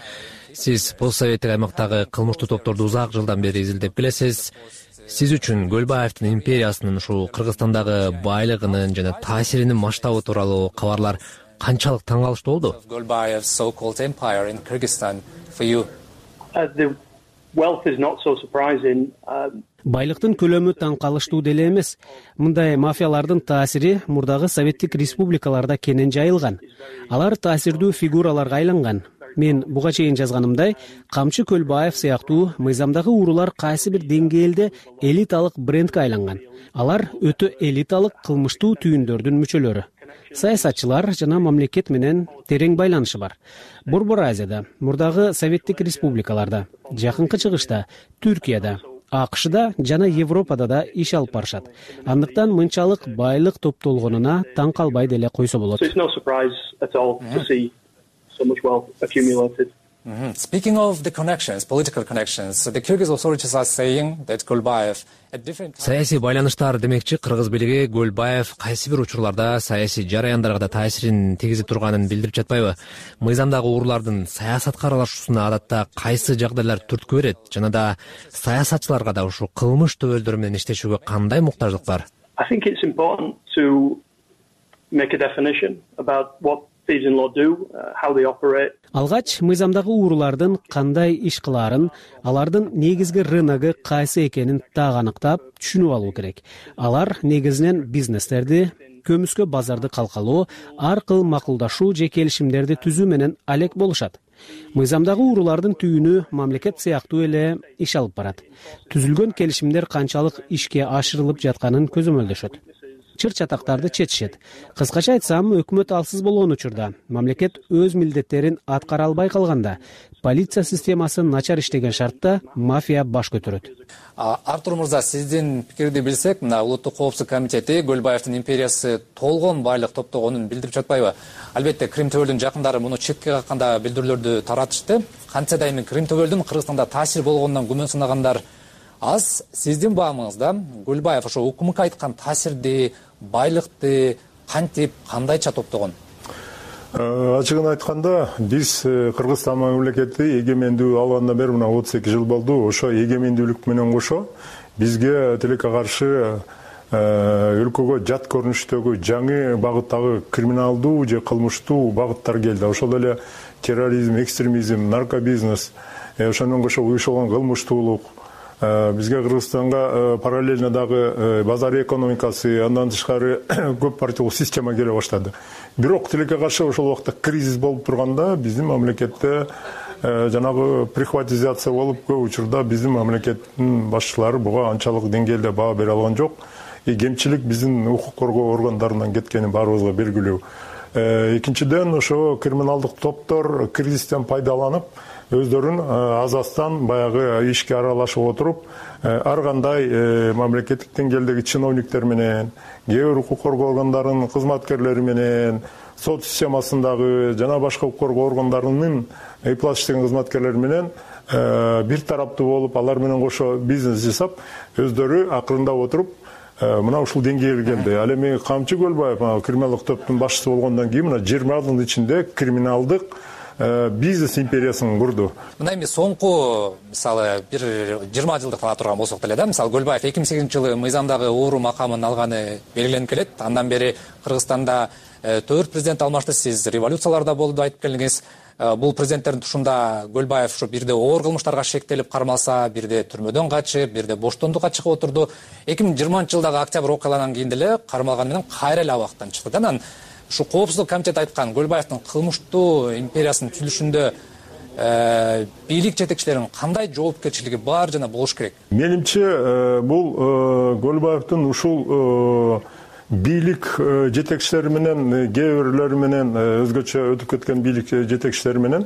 Сиз постсоветтик аймактагы кылмыштуу топторду узак жылдан бери изилдеп келесиз. Сиз үчүн Көлбаевдин империясынын ушул Кыргызстандагы байлыгынын жана таасиринин масштабы тууралуу кабарлар канчалык таң калыштуу болду? Kölbaev's so-called empire in Kyrgyzstan for you? The wealth is not so surprising. Байлыктын көлөмү таң калыштуу деле эмес. Мындай мафиялардын таасири мурдагы советтик республикаларда кенен жайылган. Алар таасирдүү фигураларга айланган. Мен буга чейин жазганымдай, Камчы Көлбаев сыяктуу мыйзамдагы уурулар кайсы бир деңгээлде элиталык брендке айланган. Алар өтө элиталык кылмыштуу түйүндөрдүн мүчөлөрү. Саясатчылар жана мамлекет менен терең байланышы бар. Борбор Азияда, мурдагы советтик республикаларда, Жакынкы Чыгышта, Түркияда, АКШда жана Европада да иш алып барышат. Андыктан мынчалык байлык топтолгонуна таң калбай деле койсо болот. So much wealth accumulated. Speaking of the connections, political connections, the Kyrgyz authorities are saying that Kölbaev at different саясий байланыштар демекчи, Кыргыз бийлиги Көлбаев кайсы бир учурларда саясий жараяндарга да таасирин тийгизип турганын билдирип жатпайбы? Мыйзамдагы уурулардын саясатка аралашуусуна адатта кайсы жагдайлар түрткү берет жана да саясатчыларга да ушул кылмыш төбөлдөрү менен иштешүүгө кандай муктаждык бар? I think it's important to make a definition about what thieves in law do, how they operate. Алгач мыйзамдагы уурулардын кандай иш кылаарын, алардын негизги рыногу кайсы экенин так аныктап, түшүнүп алуу керек. Алар негизинен бизнестерди, көмүскө базарды калкалоо, ар кыл макулдашуу же келишимдерди түзүү менен алек болушат. Мыйзамдагы уурулардын түйүнү мамлекет сыяктуу эле иш алып барат. Түзүлгөн келишимдер канчалык ишке ашырылып жатканын көзөмөлдөшөт. Чыр-чатактарды четишет. Кыскача айтсам, өкмөт алсыз болгон учурда, мамлекет өз милдеттерин аткара албай калганда, полиция системасы начар иштеген шартта мафия баш көтөрөт. Артур мырза, сиздин пикирди билсек, мына Улуттук коопсуздук комитети Көлбаевдин империясы толгон байлык топтогонун билдирип жатпайбы? Албетте Крим төбөлдүн жакындары муну четке какканда билдирүүлөрдү таратышты. Кантсе дайым Крим төбөлдүн Кыргызстанда таасир болгонунан күмөн сынагандар аз. Сиздин баамыңызда Көлбаев ошо УКМК айткан таасирди, байлыкты кантип, кандайча топтогон? Ачыгын айтканда, биз Кыргызстан мамлекети эгемендүү алгандан бери мына 32 жыл болду. Ошо эгемендүүлүк менен кошо бизге тилекке каршы өлкөгө жат көрүнүштөгү жаңы багыттагы криминалдуу же кылмыштуу багыттар келди. Ошол эле терроризм, экстремизм, наркобизнес, ошондон кошо уюшулган кылмыштуулук, бизге Кыргызстанга параллельно дагы базар экономикасы, андан тышкары көп партиялуу система келе баштады. Бирок тилекке каршы ошол убакта кризис болуп турганда биздин мамлекетте жанагы прихватизация болуп, көп учурда биздин мамлекеттин башчылары буга анчалык деңгээлде баа бере алган жок. Кемчилик биздин укук коргоо органдарынан кеткени баарыбызга белгилүү. Экинчиден, ошо криминалдык топтор кризистен пайдаланып, өздөрүн азастан баягы ишке аралашып отуруп, ар кандай мамлекеттик деңгээлдеги чиновниктер менен, кээ бир укук коргоо органдарынын кызматкерлери менен, сот системасындагы жана башка укук коргоо органдарынын ыйплат иштеген кызматкерлери менен бир тараптуу болуп, алар менен кошо бизнес жасап, өздөрү акырындап отуруп мына ушул деңгээлге келди. Ал эми Камчы Көлбаев криминалдык топтун башчысы болгондон кийин мына 20 жылдын ичинде криминалдык бизнес империясын курду. Мына эми соңку, мисалы, бир 20 жылдык ала турган болсок деле да, мисалы Көлбаев 2008-жылы мыйзамдагы ууру макамын алганы белгиленип келет. Андан бери Кыргызстанда 4 президент алмашты, сиз революцияларда болду айтып келдиңиз. Бул президенттердин тушунда Көлбаев ушу бирде оор кылмыштарга шектелип кармалса, бирде түрмөдөн качып, бирде боштондукка чыгып отурду. 2020-жылдагы октябрь окуяларынан кийин деле кармалган менен кайра эле абактан чыкты. Анан ушу коопсуздук комитети айткан Көлбаевдин кылмыштуу империясынын түзүлүшүндө бийлик жетекчилеринин кандай жоопкерчилиги бар жана болуш керек? Менимче бул Көлбаевдин ушул бийлик жетекчилери менен, кээ бирлери менен өзгөчө өтүп кеткен бийлик жетекчилери менен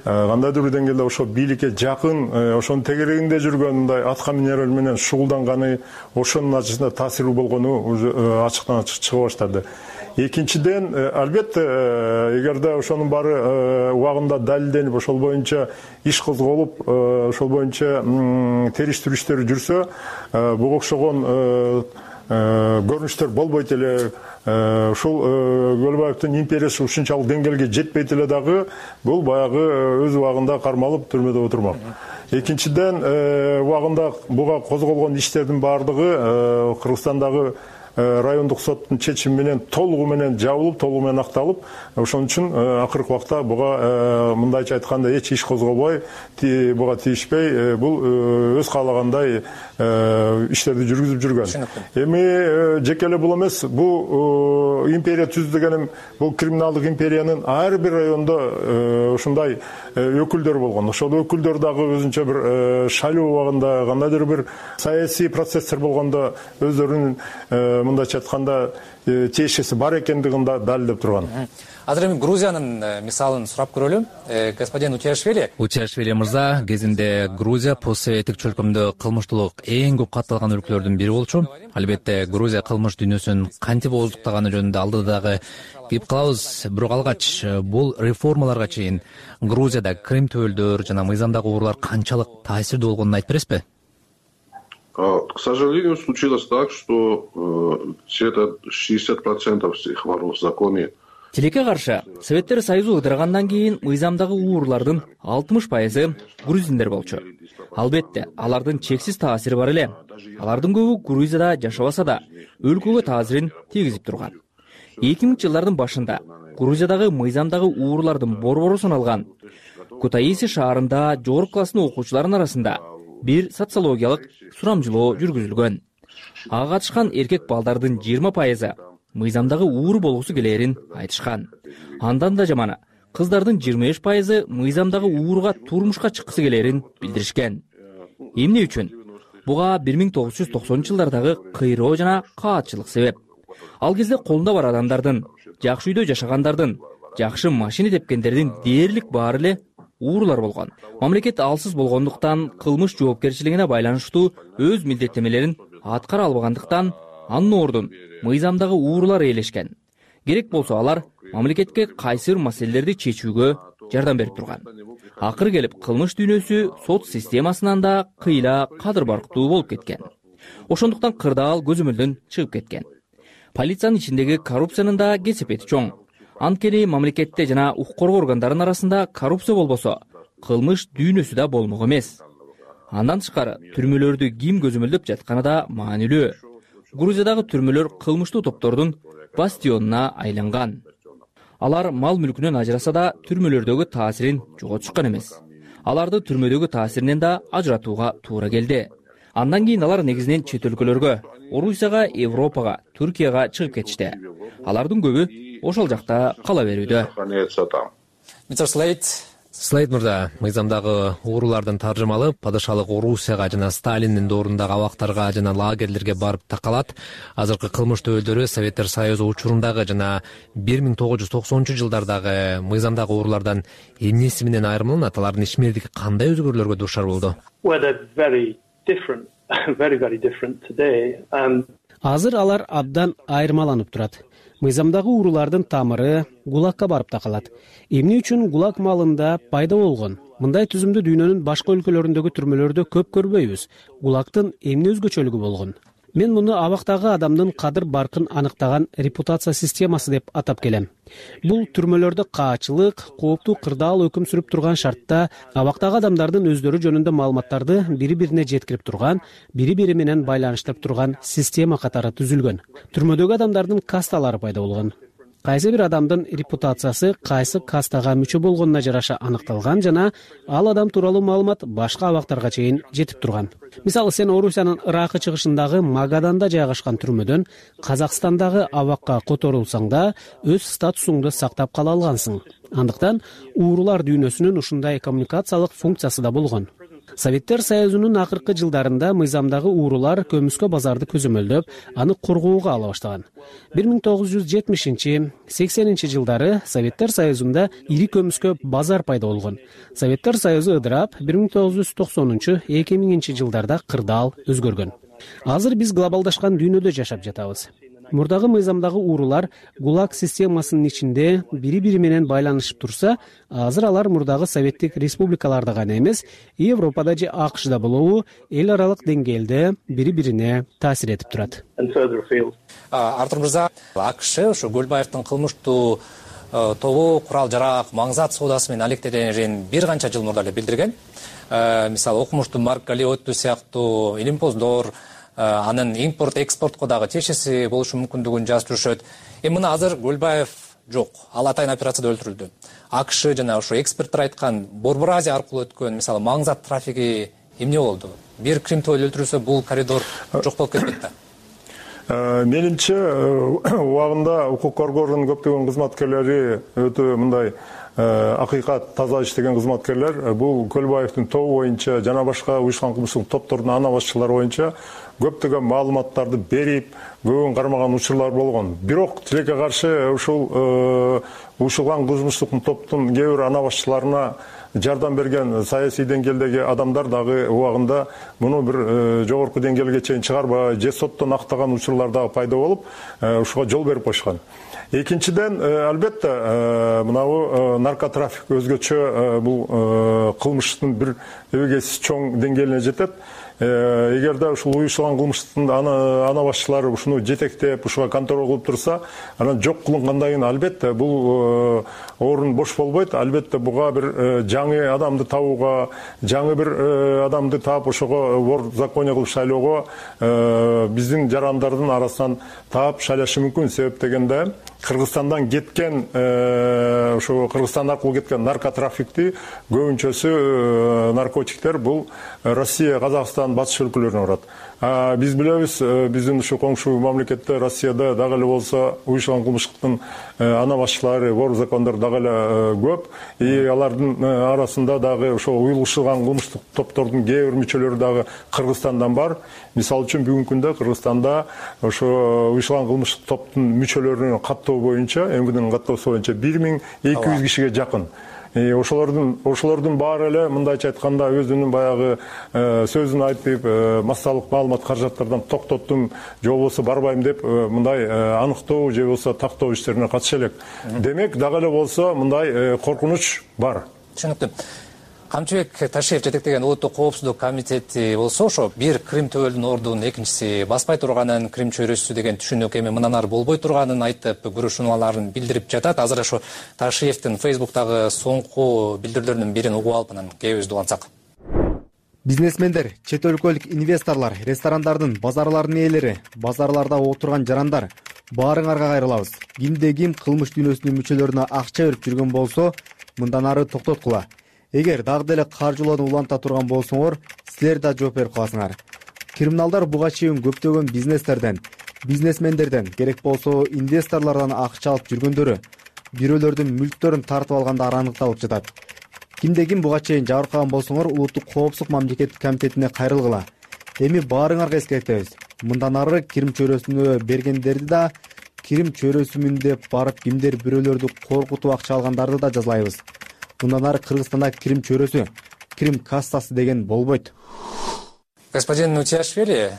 кандайдыр бир деңгээлде ошо бийликке жакын, ошонун тегерегинде жүргөн мындай атка минерлер менен шугулданганы, ошонун натыйжасында таасирүү болгону ачыктан ачык чыга баштады. Экинчиден, албетте, эгерде ошонун баары убагында далилденип, ошол боюнча иш козголуп, ошол боюнча териштирүүчтөр жүрсө, буга окшогон көрүнүштөр болбойт эле. Ушул Көлбаевдин империясы ушунчалык деңгээлге жетпейт эле дагы, бул баягы өз убагында кармалып түрмөдө отурмак. Экинчиден, убагында буга козголгон иштердин баардыгы Кыргызстандагы райондук соттун чечими менен толугу менен жабылып, толугу менен акталып, ошон үчүн акыркы убакта буга мындайча айтканда эч иш козголбой, буга тийишпей, бул өз каалагандай иштерди жүргүзүп жүргөн. Эми жеке эле бул эмес, бул империя түздү дегеним, бул криминалдык империянын ар бир райондо ушундай өкүлдөр болгон. Ошол өкүлдөр дагы өзүнчө бир шайлоо убагында, кандайдыр бир саясий процесстер болгондо өздөрүнүн мындайча айтканда тиешеси бар экендигин да далилдеп турган. Азыр эми Грузиянын мисалын сурап көрөлү. Господин Утиашвили мырза, кезинде Грузия постсоветтик чөлкөмдө кылмыштуулук эң көп катталган өлкөлөрдүн бири болчу. Албетте, Грузия кылмыш дүйнөсүн кантип ооздуктаганы жөнүндө алдыда дагы кеп калабыз. Бирок алгач бул реформаларга чейин Грузияда Крим төбөлдөр жана мыйзамдагы уурлар канчалык таасирдүү болгонун айтып бересизби? К сожалению, случилось так, что где-то 60% всех воров в законе. Тилекке каршы, Советтер Союзу ыдыргандан кийин мыйзамдагы уурлардын 60% грузиндер болчу. Албетте, алардын чексиз таасири бар эле. Алардын көбү Грузияда жашабаса да, өлкөгө таасирин тийгизип турган. 2000-жылдардын башында Грузиядагы мыйзамдагы уурлардын борбору саналган Кутаиси шаарында жогорку класстын окуучуларынын арасында бир социологиялык сурамжылоо жүргүзүлгөн. Ага катышкан эркек балдардын 20% мыйзамдагы ууру болгусу келээрин айтышкан. Андан да жаманы, кыздардын 25% мыйзамдагы ууруга турмушка чыккысы келээрин билдиришкен. Эмне үчүн? Буга 1990-жылдардагы кыйроо жана каатчылык себеп. Ал кезде колунда бар адамдардын, жакшы үйдө жашагандардын, жакшы машина тепкендердин дээрлик баары эле уурулар болгон. Мамлекет алсыз болгондуктан кылмыш жоопкерчилигине байланыштуу өз милдеттемелерин аткара албагандыктан анын ордун мыйзамдагы уурулар ээлешкен. Керек болсо алар мамлекетке кайсы бир маселелерди чечүүгө жардам берип турган. Акыры келип кылмыш дүйнөсү сот системасынан да кыйла кадыр барктуу болуп кеткен. Ошондуктан кырдаал көзөмөлдөн чыгып кеткен. Полициянын ичиндеги коррупциянын да кесепети чоң. Анткени мамлекетте жана укук коргоо органдарынын арасында коррупция болбосо, кылмыш дүйнөсү да болмок эмес. Андан тышкары түрмөлөрдү ким көзөмөлдөп жатканы да маанилүү. Грузиядагы түрмөлөр кылмыштуу топтордун бастионуна айланган. Алар мал мүлкүнөн ажыраса да түрмөлөрдөгү таасирин жоготушкан эмес. Аларды түрмөдөгү таасиринен да ажыратууга туура келди. Андан кийин алар негизинен чет өлкөлөргө, Орусияга, Европага, Түркияга чыгып кетишти. Алардын көбү ошол жакта кала берүүдө. Слейд мырза, мыйзамдагы уурулардын таржымалы падышалык Орусияга жана Сталиндин доорундагы абактарга жана лагерлерге барып такалат. Азыркы кылмыш төбөлдөрү Советтер Союзу учурундагы жана 1990-жылдардагы мыйзамдагы уурулардан эмнеси менен айырмаланат? Алардын ишмердиги кандай өзгөрүүлөргө дуушар болду? Азыр алар абдан айырмаланып турат. Мыйзамдагы уурулардын тамыры ГУЛАГка барып такалат. Эмне үчүн ГУЛАГ маалында пайда болгон? Мындай түзүмдү дүйнөнүн башка өлкөлөрүндөгү түрмөлөрдө көп көрбөйбүз. ГУЛАГтын эмне өзгөчөлүгү болгон? Мен муну абактагы адамдын кадыр баркын аныктаган репутация системасы деп атап келем. Бул түрмөлөрдө каачылык, кооптуу кырдаал өкүм сүрүп турган шартта абактагы адамдардын өздөрү жөнүндө маалыматтарды бири-бирине жеткирип турган, бири-бири менен байланыштырып турган система катары түзүлгөн. Түрмөдөгү адамдардын касталары пайда болгон. Кайсы бир адамдын репутациясы кайсы кастага мүчө болгонуна жараша аныкталган жана ал адам тууралуу маалымат башка абактарга чейин жетип турган. Мисалы, сен Орусиянын ыракы чыгышындагы Магаданда жайгашкан түрмөдөн Казакстандагы абакка которулсаң да өз статусуңду сактап кала алгансың. Андыктан уурулар дүйнөсүнүн ушундай коммуникациялык функциясы да болгон. Советтер Союзунун акыркы жылдарында мыйзамдагы уурулар көмүскө базарды көзөмөлдөп, аны коргоого ала баштаган. 1970-80 жылдары Советтер Союзунда ири көмүскө базар пайда болгон. Советтер Союзу ыдырап, 1990-2000 жылдарда кырдаал өзгөргөн. Азыр биз глобалдашкан дүйнөдө жашап жатабыз. Мурдагы мыйзамдагы уурулар ГУЛАГ системасынын ичинде бири-бири менен байланышып турса, азыр алар мурдагы советтик республикаларда гана эмес, Европада же АКШда болобу, эл аралык деңгээлде бири-бирине таасир этип турат. Артур мырза, АКШ ошо Көлбаевдин кылмыштуу тобу курал-жарак, маңзат соодасы менен алектенерин бир канча жыл мурда эле билдирген. Мисалы, окумуштуу Марк Галиотту сыяктуу илимпоздор анын импорт-экспортко дагы тиешеси болушу мүмкүндүгүн жазып жүрүшөт. Мына азыр Көлбаев жок, ал атайын операцияда өлтүрүлдү. АКШ жана ошо эксперттер айткан Борбор Азия аркылуу өткөн, мисалы, маңзат трафиги эмне болду? Бир Кримтойл өлтүрүлсө, бул коридор жок болуп кетпейт да. Менимче, убагында укук коргоонун көптөгөн кызматкерлери өтө мындай акыйкат таза иштеген кызматкерлер бул Көлбаевдин тобу боюнча жана башка уюшкан кылмыштык топтордун ана башчылары боюнча көптөгөн маалыматтарды берип, көбүн кармаган учурлар болгон. Бирок тилекке каршы ушул уюшкан кылмыштык топтун кээ бир ана башчыларына жардам берген саясий деңгээлдеги адамдар дагы убагында муну бир жогорку деңгээлге чейин чыгарбай, же соттон актаган учурлар дагы пайда болуп, ушуга жол берип койшкан. Экинчиден, албетте, мынабу наркотрафик өзгөчө бул кылмыштын бир эбегейсиз чоң деңгээлине жетет. Эгерде ушул уюшкан кылмыштын ана башчылары ушуну жетектеп, ушуга контроль кылып турса, анан жок кылынгандан кийин албетте бул орун бош болбойт. Албетте буга бир жаңы адамды табууга, жаңы бир адамды таап ошого вор закония кылып шайлоого биздин жарандардын арасынан таап шайлашы мүмкүн. Себеп дегенде Кыргызстандан кеткен, ошо Кыргызстан аркылуу кеткен наркотрафикти көбүнчөсү наркотиктер бул Россия, Казакстан, батыш өлкөлөрүнө барат. Биз билебиз, биздин ушу коңшу мамлекетте Россияда дагы эле болсо уюшкан кылмыштыктын ана башчылары, вор закондор дагы эле көп. Алардын арасында дагы ошо уюлушкан кылмыштык топтордун кээ бир мүчөлөрү дагы Кыргызстандан бар. Мисалы үчүн бүгүнкү күндө Кыргызстанда ошо уюшкан кылмыштык топтун мүчөлөрүнүн каттоо боюнча, МВДнын каттоосу боюнча 1200 кишиге жакын. ошолордун баары эле мындайча айтканда өзүнүн баягы сөзүн айтып массалык маалымат каражаттардан токтоттум же болбосо барбайм деп мындай аныктоо же болбосо тактоо иштерине катыша элек. Демек дагы эле болсо мындай коркунуч бар. Түшүнүктүү. Камчыбек Ташиев жетектеген улуттук коопсуздук комитети болсо ошо бир Крим төбөлдүн ордунун, экинчиси баспай турганын, Крим чөйрөсү деген түшүнүк эми мындан ары болбой турганын айтып, күрөшүүнүн билдирип жатат. Азыр ошо Ташиевдин Facebooktагы соңку билдирүүлөрүнүн бирин угуп алып анан кебибизди улантсак. Бизнесмендер, чет өлкөлүк инвесторлор, ресторандардын, базарлардын ээлери, базарларда отурган жарандар, баарыңарга кайрылабыз. Кимде ким кылмыш дүйнөсүнүн мүчөлөрүнө акча берип жүргөн болсо, мындан ары токтоткула. Эгер дагы деле каржылоону уланта турган болсоңор, силер да жооп берип каласыңар. Криминалдар буга чейин көптөгөн бизнестерден, бизнесмендерден, керек болсо инвесторлордон акча алып жүргөндөрү, бирөөлөрдүн мүлктөрүн тартып алгандары аныкталып жатат. Кимде ким буга чейин жабыркаган болсоңор, улуттук коопсуздук мамлекеттик комитетине кайрылгыла. Эми баарыңарга эскертебиз. Мындан ары Крим чөйрөсүнө бергендерди да, Крим чөйрөсүмүн деп барып кимдер бирөөлөрдү коркутуп акча алгандарды да жазалайбыз. Мындан ары Кыргызстанда Крим чөйрөсү, Крим кассасы деген болбойт. Господин Утиашвили,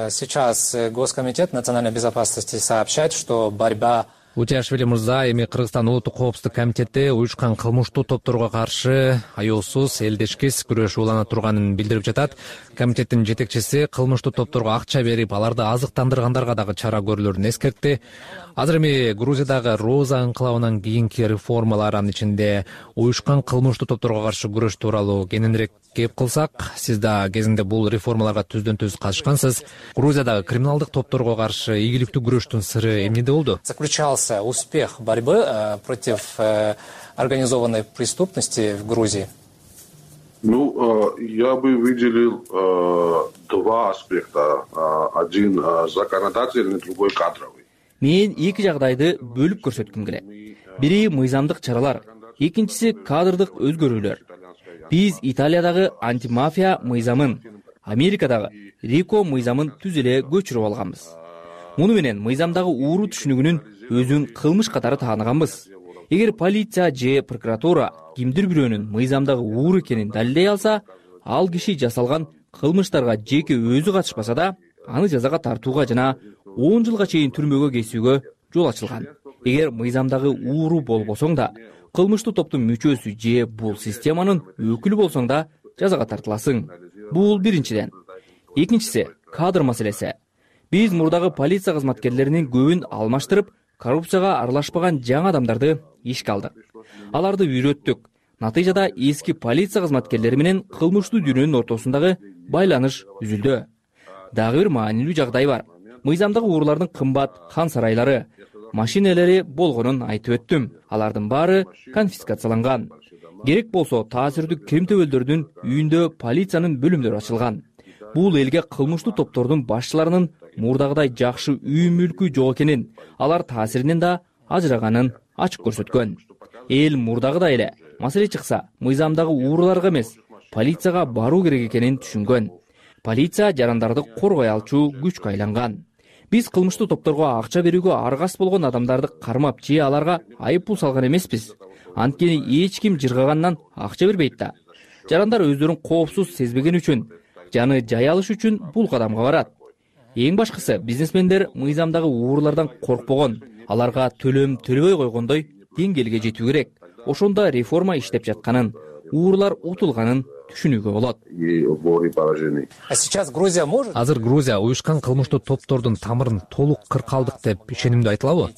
сейчас Госкомитет национальной безопасности сообщает, что борьба... Утиашвили мырза, эми Кыргызстан улуттук коопсуздук комитети уюшкан кылмыштуу топторго каршы аеусуз, элдешкис күрөшүү улана турганын билдирип жатат. Комитеттин жетекчиси кылмыштуу топторго акча берип, аларды азыктандыргандарга дагы чара көрүлөрүн эскертти. Азыр эми Грузиядагы Роза анклавынан кийинки реформалар, анын ичинде уюшкан кылмыштуу топторго каршы күрөш тууралуу кененирээк кеп кылсак, сиз да кезинде бул реформаларга түздөн-түз катышкансыз. Грузиядагы криминалдык топторго каршы ийгиликтүү күрөштүн сыры эмнеде болду? Заключался успех борьбы против организованной преступности в Грузии? Я бы выделил два аспекта. Один законодательный, другой кадровый. Мен эки жагдайды бөлүп көрсөткүм келет. Бири мыйзамдык чаралар, экинчиси кадрдык өзгөрүүлөр. Биз Италиядагы антимафия мыйзамын, Америкадагы РИКО мыйзамын түз эле көчүрүп алганбыз. Муну менен мыйзамдагы ууру түшүнүгүнүн өзүн кылмыш катары тааныганбыз. Эгер полиция же прокуратура кимдир бирөөнүн мыйзамдагы ууру экенин далилдей алса, ал киши жасалган кылмыштарга жеке өзү катышпаса да, аны жазага тартууга жана 10 жылга чейин түрмөгө кесүүгө жол ачылган. Эгер мыйзамдагы ууру болбосоң да, кылмыштуу топтун мүчөсү же бул системанын өкүлү болсоң да жазага тартыласың. Бул биринчиден. Экинчиси кадр маселеси. Биз мурдагы полиция кызматкерлеринин көбүн алмаштырып, коррупцияга аралашпаган жаңы адамдарды ишке алдык. Аларды үйрөттүк. Натыйжада эски полиция кызматкерлери менен кылмыштуу дүйнөнүн ортосундагы байланыш үзүлдү. Дагы бир маанилүү жагдай бар. Мыйзамдагы уурулардын кымбат хан сарайлары, машинелери болгонун айтып өттүм. Алардын баары конфискацияланган. Керек болсо таасирдүү Крим төбөлдөрдүн үйүндө полициянын бөлүмдөрү ачылган. Бул элге кылмыштуу топтордун башчыларынын мурдагыдай жакшы үй мүлкү жок экенин, алар таасиринен да ажыраганын ачык көрсөткөн. Эл мурдагыдай эле маселе чыкса, мыйзамдагы ууруларга эмес, полицияга баруу керек экенин түшүнгөн. Полиция жарандарды коргой алчу күчкө айланган. Биз кылмыштуу топторго акча берүүгө аргас болгон адамдарды кармап же аларга айып пул салган эмеспиз. Анткени эч ким жыргагандан акча бербейт да. Жарандар өздөрүн коопсуз сезбеген үчүн, жаны жай алыш үчүн бул кадамга барат. Эң башкысы, бизнесмендер мыйзамдагы уурулардан коркпогон, аларга төлөм төлөбөй койгондой деңгээлге жетүү керек. Ошондо реформа иштеп жатканын, уурулар утулганын түшүнүүгө болот. Азыр Грузия уюшкан кылмыштуу топтордун тамырын толук кыркалдык деп ишенимдүү айтылабы?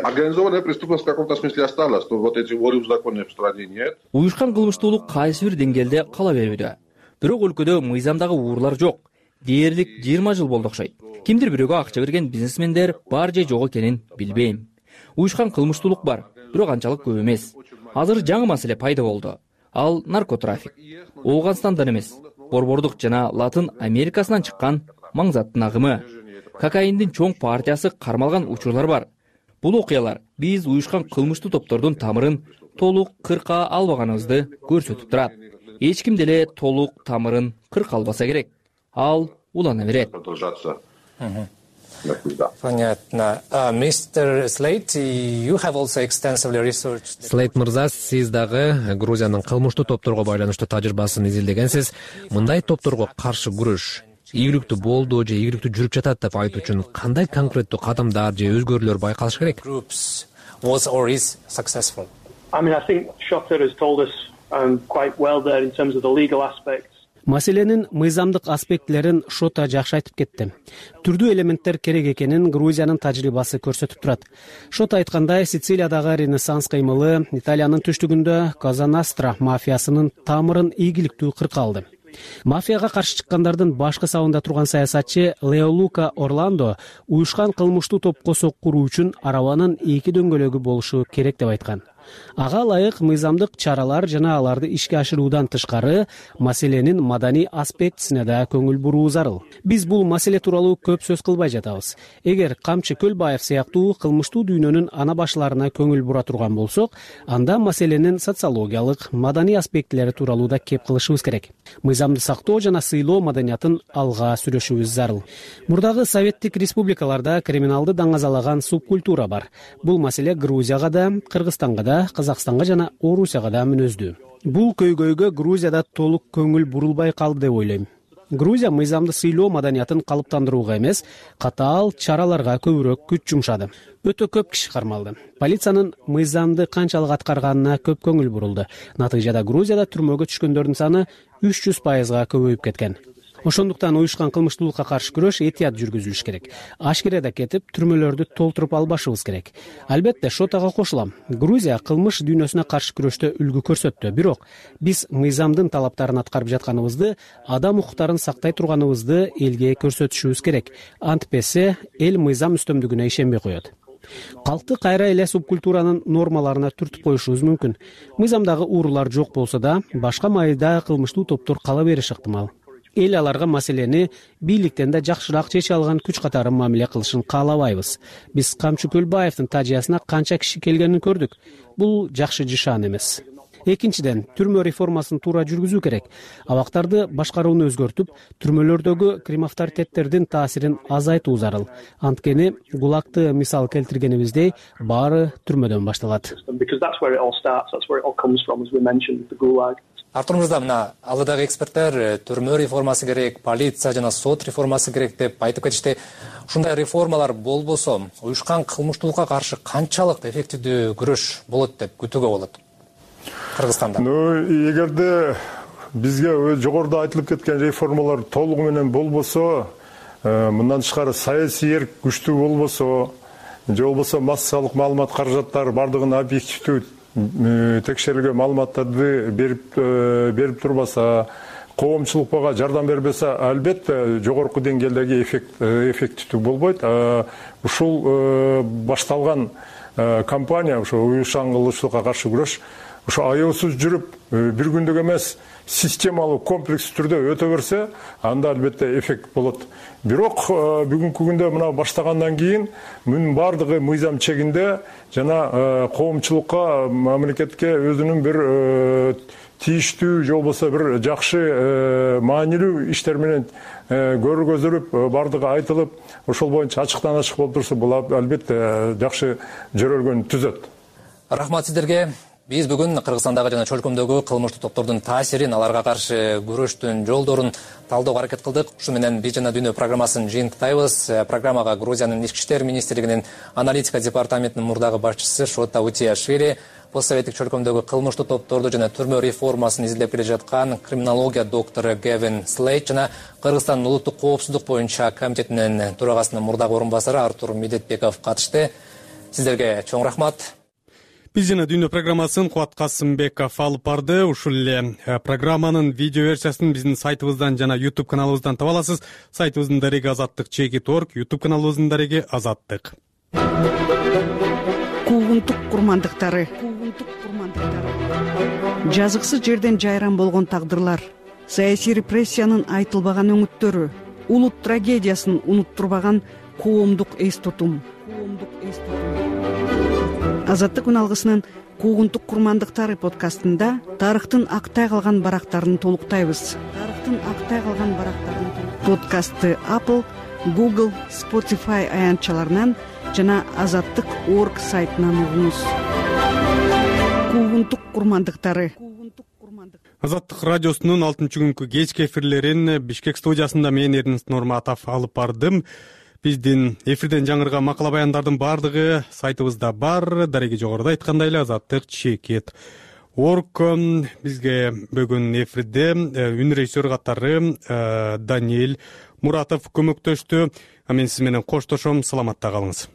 Организованная преступность в каком-то смысле осталась, но вот эти воры в законе в стране нет. Уюшкан кылмыштуулук кайсы бир деңгээлде кала берүүдө. Бирок өлкөдө мыйзамдагы уурулар жок. Дээрлик 20 жыл болду окшойт. Кимдир бирөөгө акча берген бизнесмендер бар же жок экенин билбейм. Уюшкан кылмыштуулук бар, бирок анчалык көп эмес. Азыр жаңы маселе пайда болду. Ал наркотрафик. Ооганстандан эмес, Борбордук жана Латын Америкасынан чыккан маңзаттын агымы. Кокаиндин чоң партиясы кармалган учурлар бар. Бул окуялар биз уюшкан кылмыштуу топтордун тамырын толук кырка албаганыбызды көрсөтүп турат. Эч ким деле толук тамырын кырка албаса керек. Ал улана берет. Понятно. Mr. Slate, you have also extensively researched. Slate мырза, сиз дагы Грузиянын кылмыштуу топторго байланыштуу тажрыйбасын изилдегенсиз. Мындай топторго каршы күрөш ийгиликтүү болду же ийгиликтүү жүрүп жатат деп айтуу үчүн кандай конкреттүү кадамдар же өзгөрүүлөр байкалыш керек? Was or is successful. I think Shota has told us quite well there in terms of the legal aspects. Маселенин мыйзамдык аспектилерин Шота жакшы айтып кетти. Түрдүү элементтер керек экенин Грузиянын тажрыйбасы көрсөтүп турат. Шота айткандай, Сицилиядагы Ренессанс кыймылы Италиянын түштүгүндө Коза Ностра мафиясынын тамырын ийгиликтүү кырка алды. Мафияга каршы чыккандардын башкы сабында турган саясатчы Лео Лука Орландо уюшкан кылмыштуу топко соккуруу үчүн арабанын 2 дөңгөлөгү болушу керек деп айткан. Ага ылайык мыйзамдык чаралар жана аларды ишке ашыруудан тышкары маселенин маданий аспектисине да көңүл буруу зарыл. Биз бул маселе тууралуу көп сөз кылбай жатабыз. Эгер Камчы Көлбаев сыяктуу кылмыштуу дүйнөнүн ана башларына көңүл бура турган болсок, анда маселенин социологиялык, маданий аспектилери тууралуу да кеп кылышыбыз керек. Мыйзамды сактоо жана сыйлоо маданиятын алга сүрөшүбүз зарыл. Мурдагы советтик республикаларда криминалды даңазалаган субкультура бар. Бул маселе Грузияга да, Кыргызстанга да, Казакстанга жана Орусияга да мүнөздүү. Бул көйгөйгө Грузияда толук көңүл бурулбай калды деп ойлойм. Грузия мыйзамды сыйлоо маданиятын калыптандырууга эмес, катаал чараларга көбүрөөк күч жумшады. Өтө көп киши кармалды. Полициянын мыйзамды канчалык аткарганына көп көңүл бурулду. Натыйжада Грузияда түрмөгө түшкөндөрдүн саны 300%га көбөйүп кеткен. Ошондуктан уюшкан кылмыштуулукка каршы күрөш этият жүргүзүлүш керек. Ашкереде кетип, түрмөлөрдү толтуруп албашыбыз керек. Албетте, Шотага кошулам. Грузия кылмыш дүйнөсүнө каршы күрөштө үлгү көрсөттү. Бирок биз мыйзамдын талаптарын аткарып жатканыбызды, адам укуктарын сактай турганыбызды элге көрсөтүшүбүз керек. Антпесе эл мыйзам үстөмдүгүнө ишенбей коет. Калкты кайра эле субкультуранын нормаларына түртүп коюшубуз мүмкүн. Мыйзамдагы уурулар жок болсо да, башка майда кылмыштуу топтор кала бериши ыктымал. Эл аларга маселени бийликтен да жакшыраак чече алган күч катары мамиле кылышын каалабайбыз. Биз Камчы Көлбаевдин тажыясына канча киши келгенин көрдүк. Бул жакшы жышаан эмес. Экинчиден, түрмө реформасын туура жүргүзүү керек. Абактарды башкарууну өзгөртүп, түрмөлөрдөгү кримавторитеттердин таасирин азайтуу зарыл. Анткени ГУЛАГты мисал келтиргенибиздей, баары түрмөдөн башталат. Артур мырза, мына алдыдагы эксперттер түрмө реформасы керек, полиция жана сот реформасы керек деп айтып кетишти. Ушундай реформалар болбосо, уюшкан кылмыштуулукка каршы канчалык эффективдүү күрөш болот деп күтүүгө болот Кыргызстанда? Эгерде бизге жогоруда айтылып кеткен реформалар толугу менен болбосо, мындан тышкары саясий эрк күчтүү болбосо, же болбосо массалык маалымат каражаттары бардыгын объективдүү текшерилген маалыматтарды берип турбаса, коомчулукка жардам бербесе, албетте жогорку деңгээлдеги эффективдүү болбойт. Ушул башталган кампания, ошо уюшкан кылмыштуулукка каршы күрөш, ошо аеосуз жүрүп, бир күндүк эмес, системалуу комплекс түрдө өтө берсе, анда албетте эффект болот. Бирок бүгүнкү күндө мына баштагандан кийин мунун бардыгы мыйзам чегинде жана коомчулукка, мамлекетке өзүнүн бир тийиштүү же болбосо бир жакшы маанилүү иштер менен көргөзүлүп, бардыгы айтылып, ошол боюнча ачыктан ачык болуп турса, бул албетте жакшы жөрөлгөн түзөт. Рахмат сиздерге. Биз бүгүн Кыргызстандагы жана чөлкөмдөгү кылмыштуу топтордун таасирин, аларга каршы күрөштүн жолдорун талдөөгө аракет кылдык. Ушу менен Биз жана Дүйнө программасын жыйынтыктайбыз. Программага Грузиянын Ички иштер министрлигинин аналитика департаментинин мурдагы башчысы Шота Утиашвили, постсоветтик чөлкөмдөгү кылмыштуу топторду жана түрмө реформасын изилдеп келе жаткан криминология доктору Гевин Слейт жана Кыргызстандын улуттук коопсуздук боюнча комитетинин төрагасынын мурдагы орун басары Артур Медетбеков катышты. Сиздерге чоң рахмат. Биз жана Дүйнө программасын Кубат Касымбеков алып барды. Ушул эле программанын видео версиясын биздин сайтыбыздан жана YouTube каналыбыздан таба аласыз. Сайтыбыздын дареги azattik.org, YouTube каналыбыздын дареги Азаттык. Куугунтук курмандыктары. Жазыксыз жерден жайран болгон тагдырлар, саясий репрессиянын айтылбаган өңүттөрү, улут трагедиясын унуттурбаган коомдук эс тутум. Азаттык үналгысынын Куугунтук курмандыктары подкастында тарыхтын актай калган барактарын толуктайбыз. Подкастты Apple, Google, Spotify аянтчаларынан жана Азаттык.org сайтынан угуңуз. Куугунтук курмандыктары. Азаттык радиосунун 6-күнкү кечки эфирлерин Бишкек студиясында мен Эрнест Нурматов алып бардым. Биздин эфирден жаңырган макала баяндардын баардыгы сайтыбызда бар. Дареги жогоруда айткандай эле Азаттык.org. Бизге бүгүн эфирде үн режиссер катары Даниэль Муратов көмөктөштү. Мен сиз менен коштошом. Саламатта калыңыз.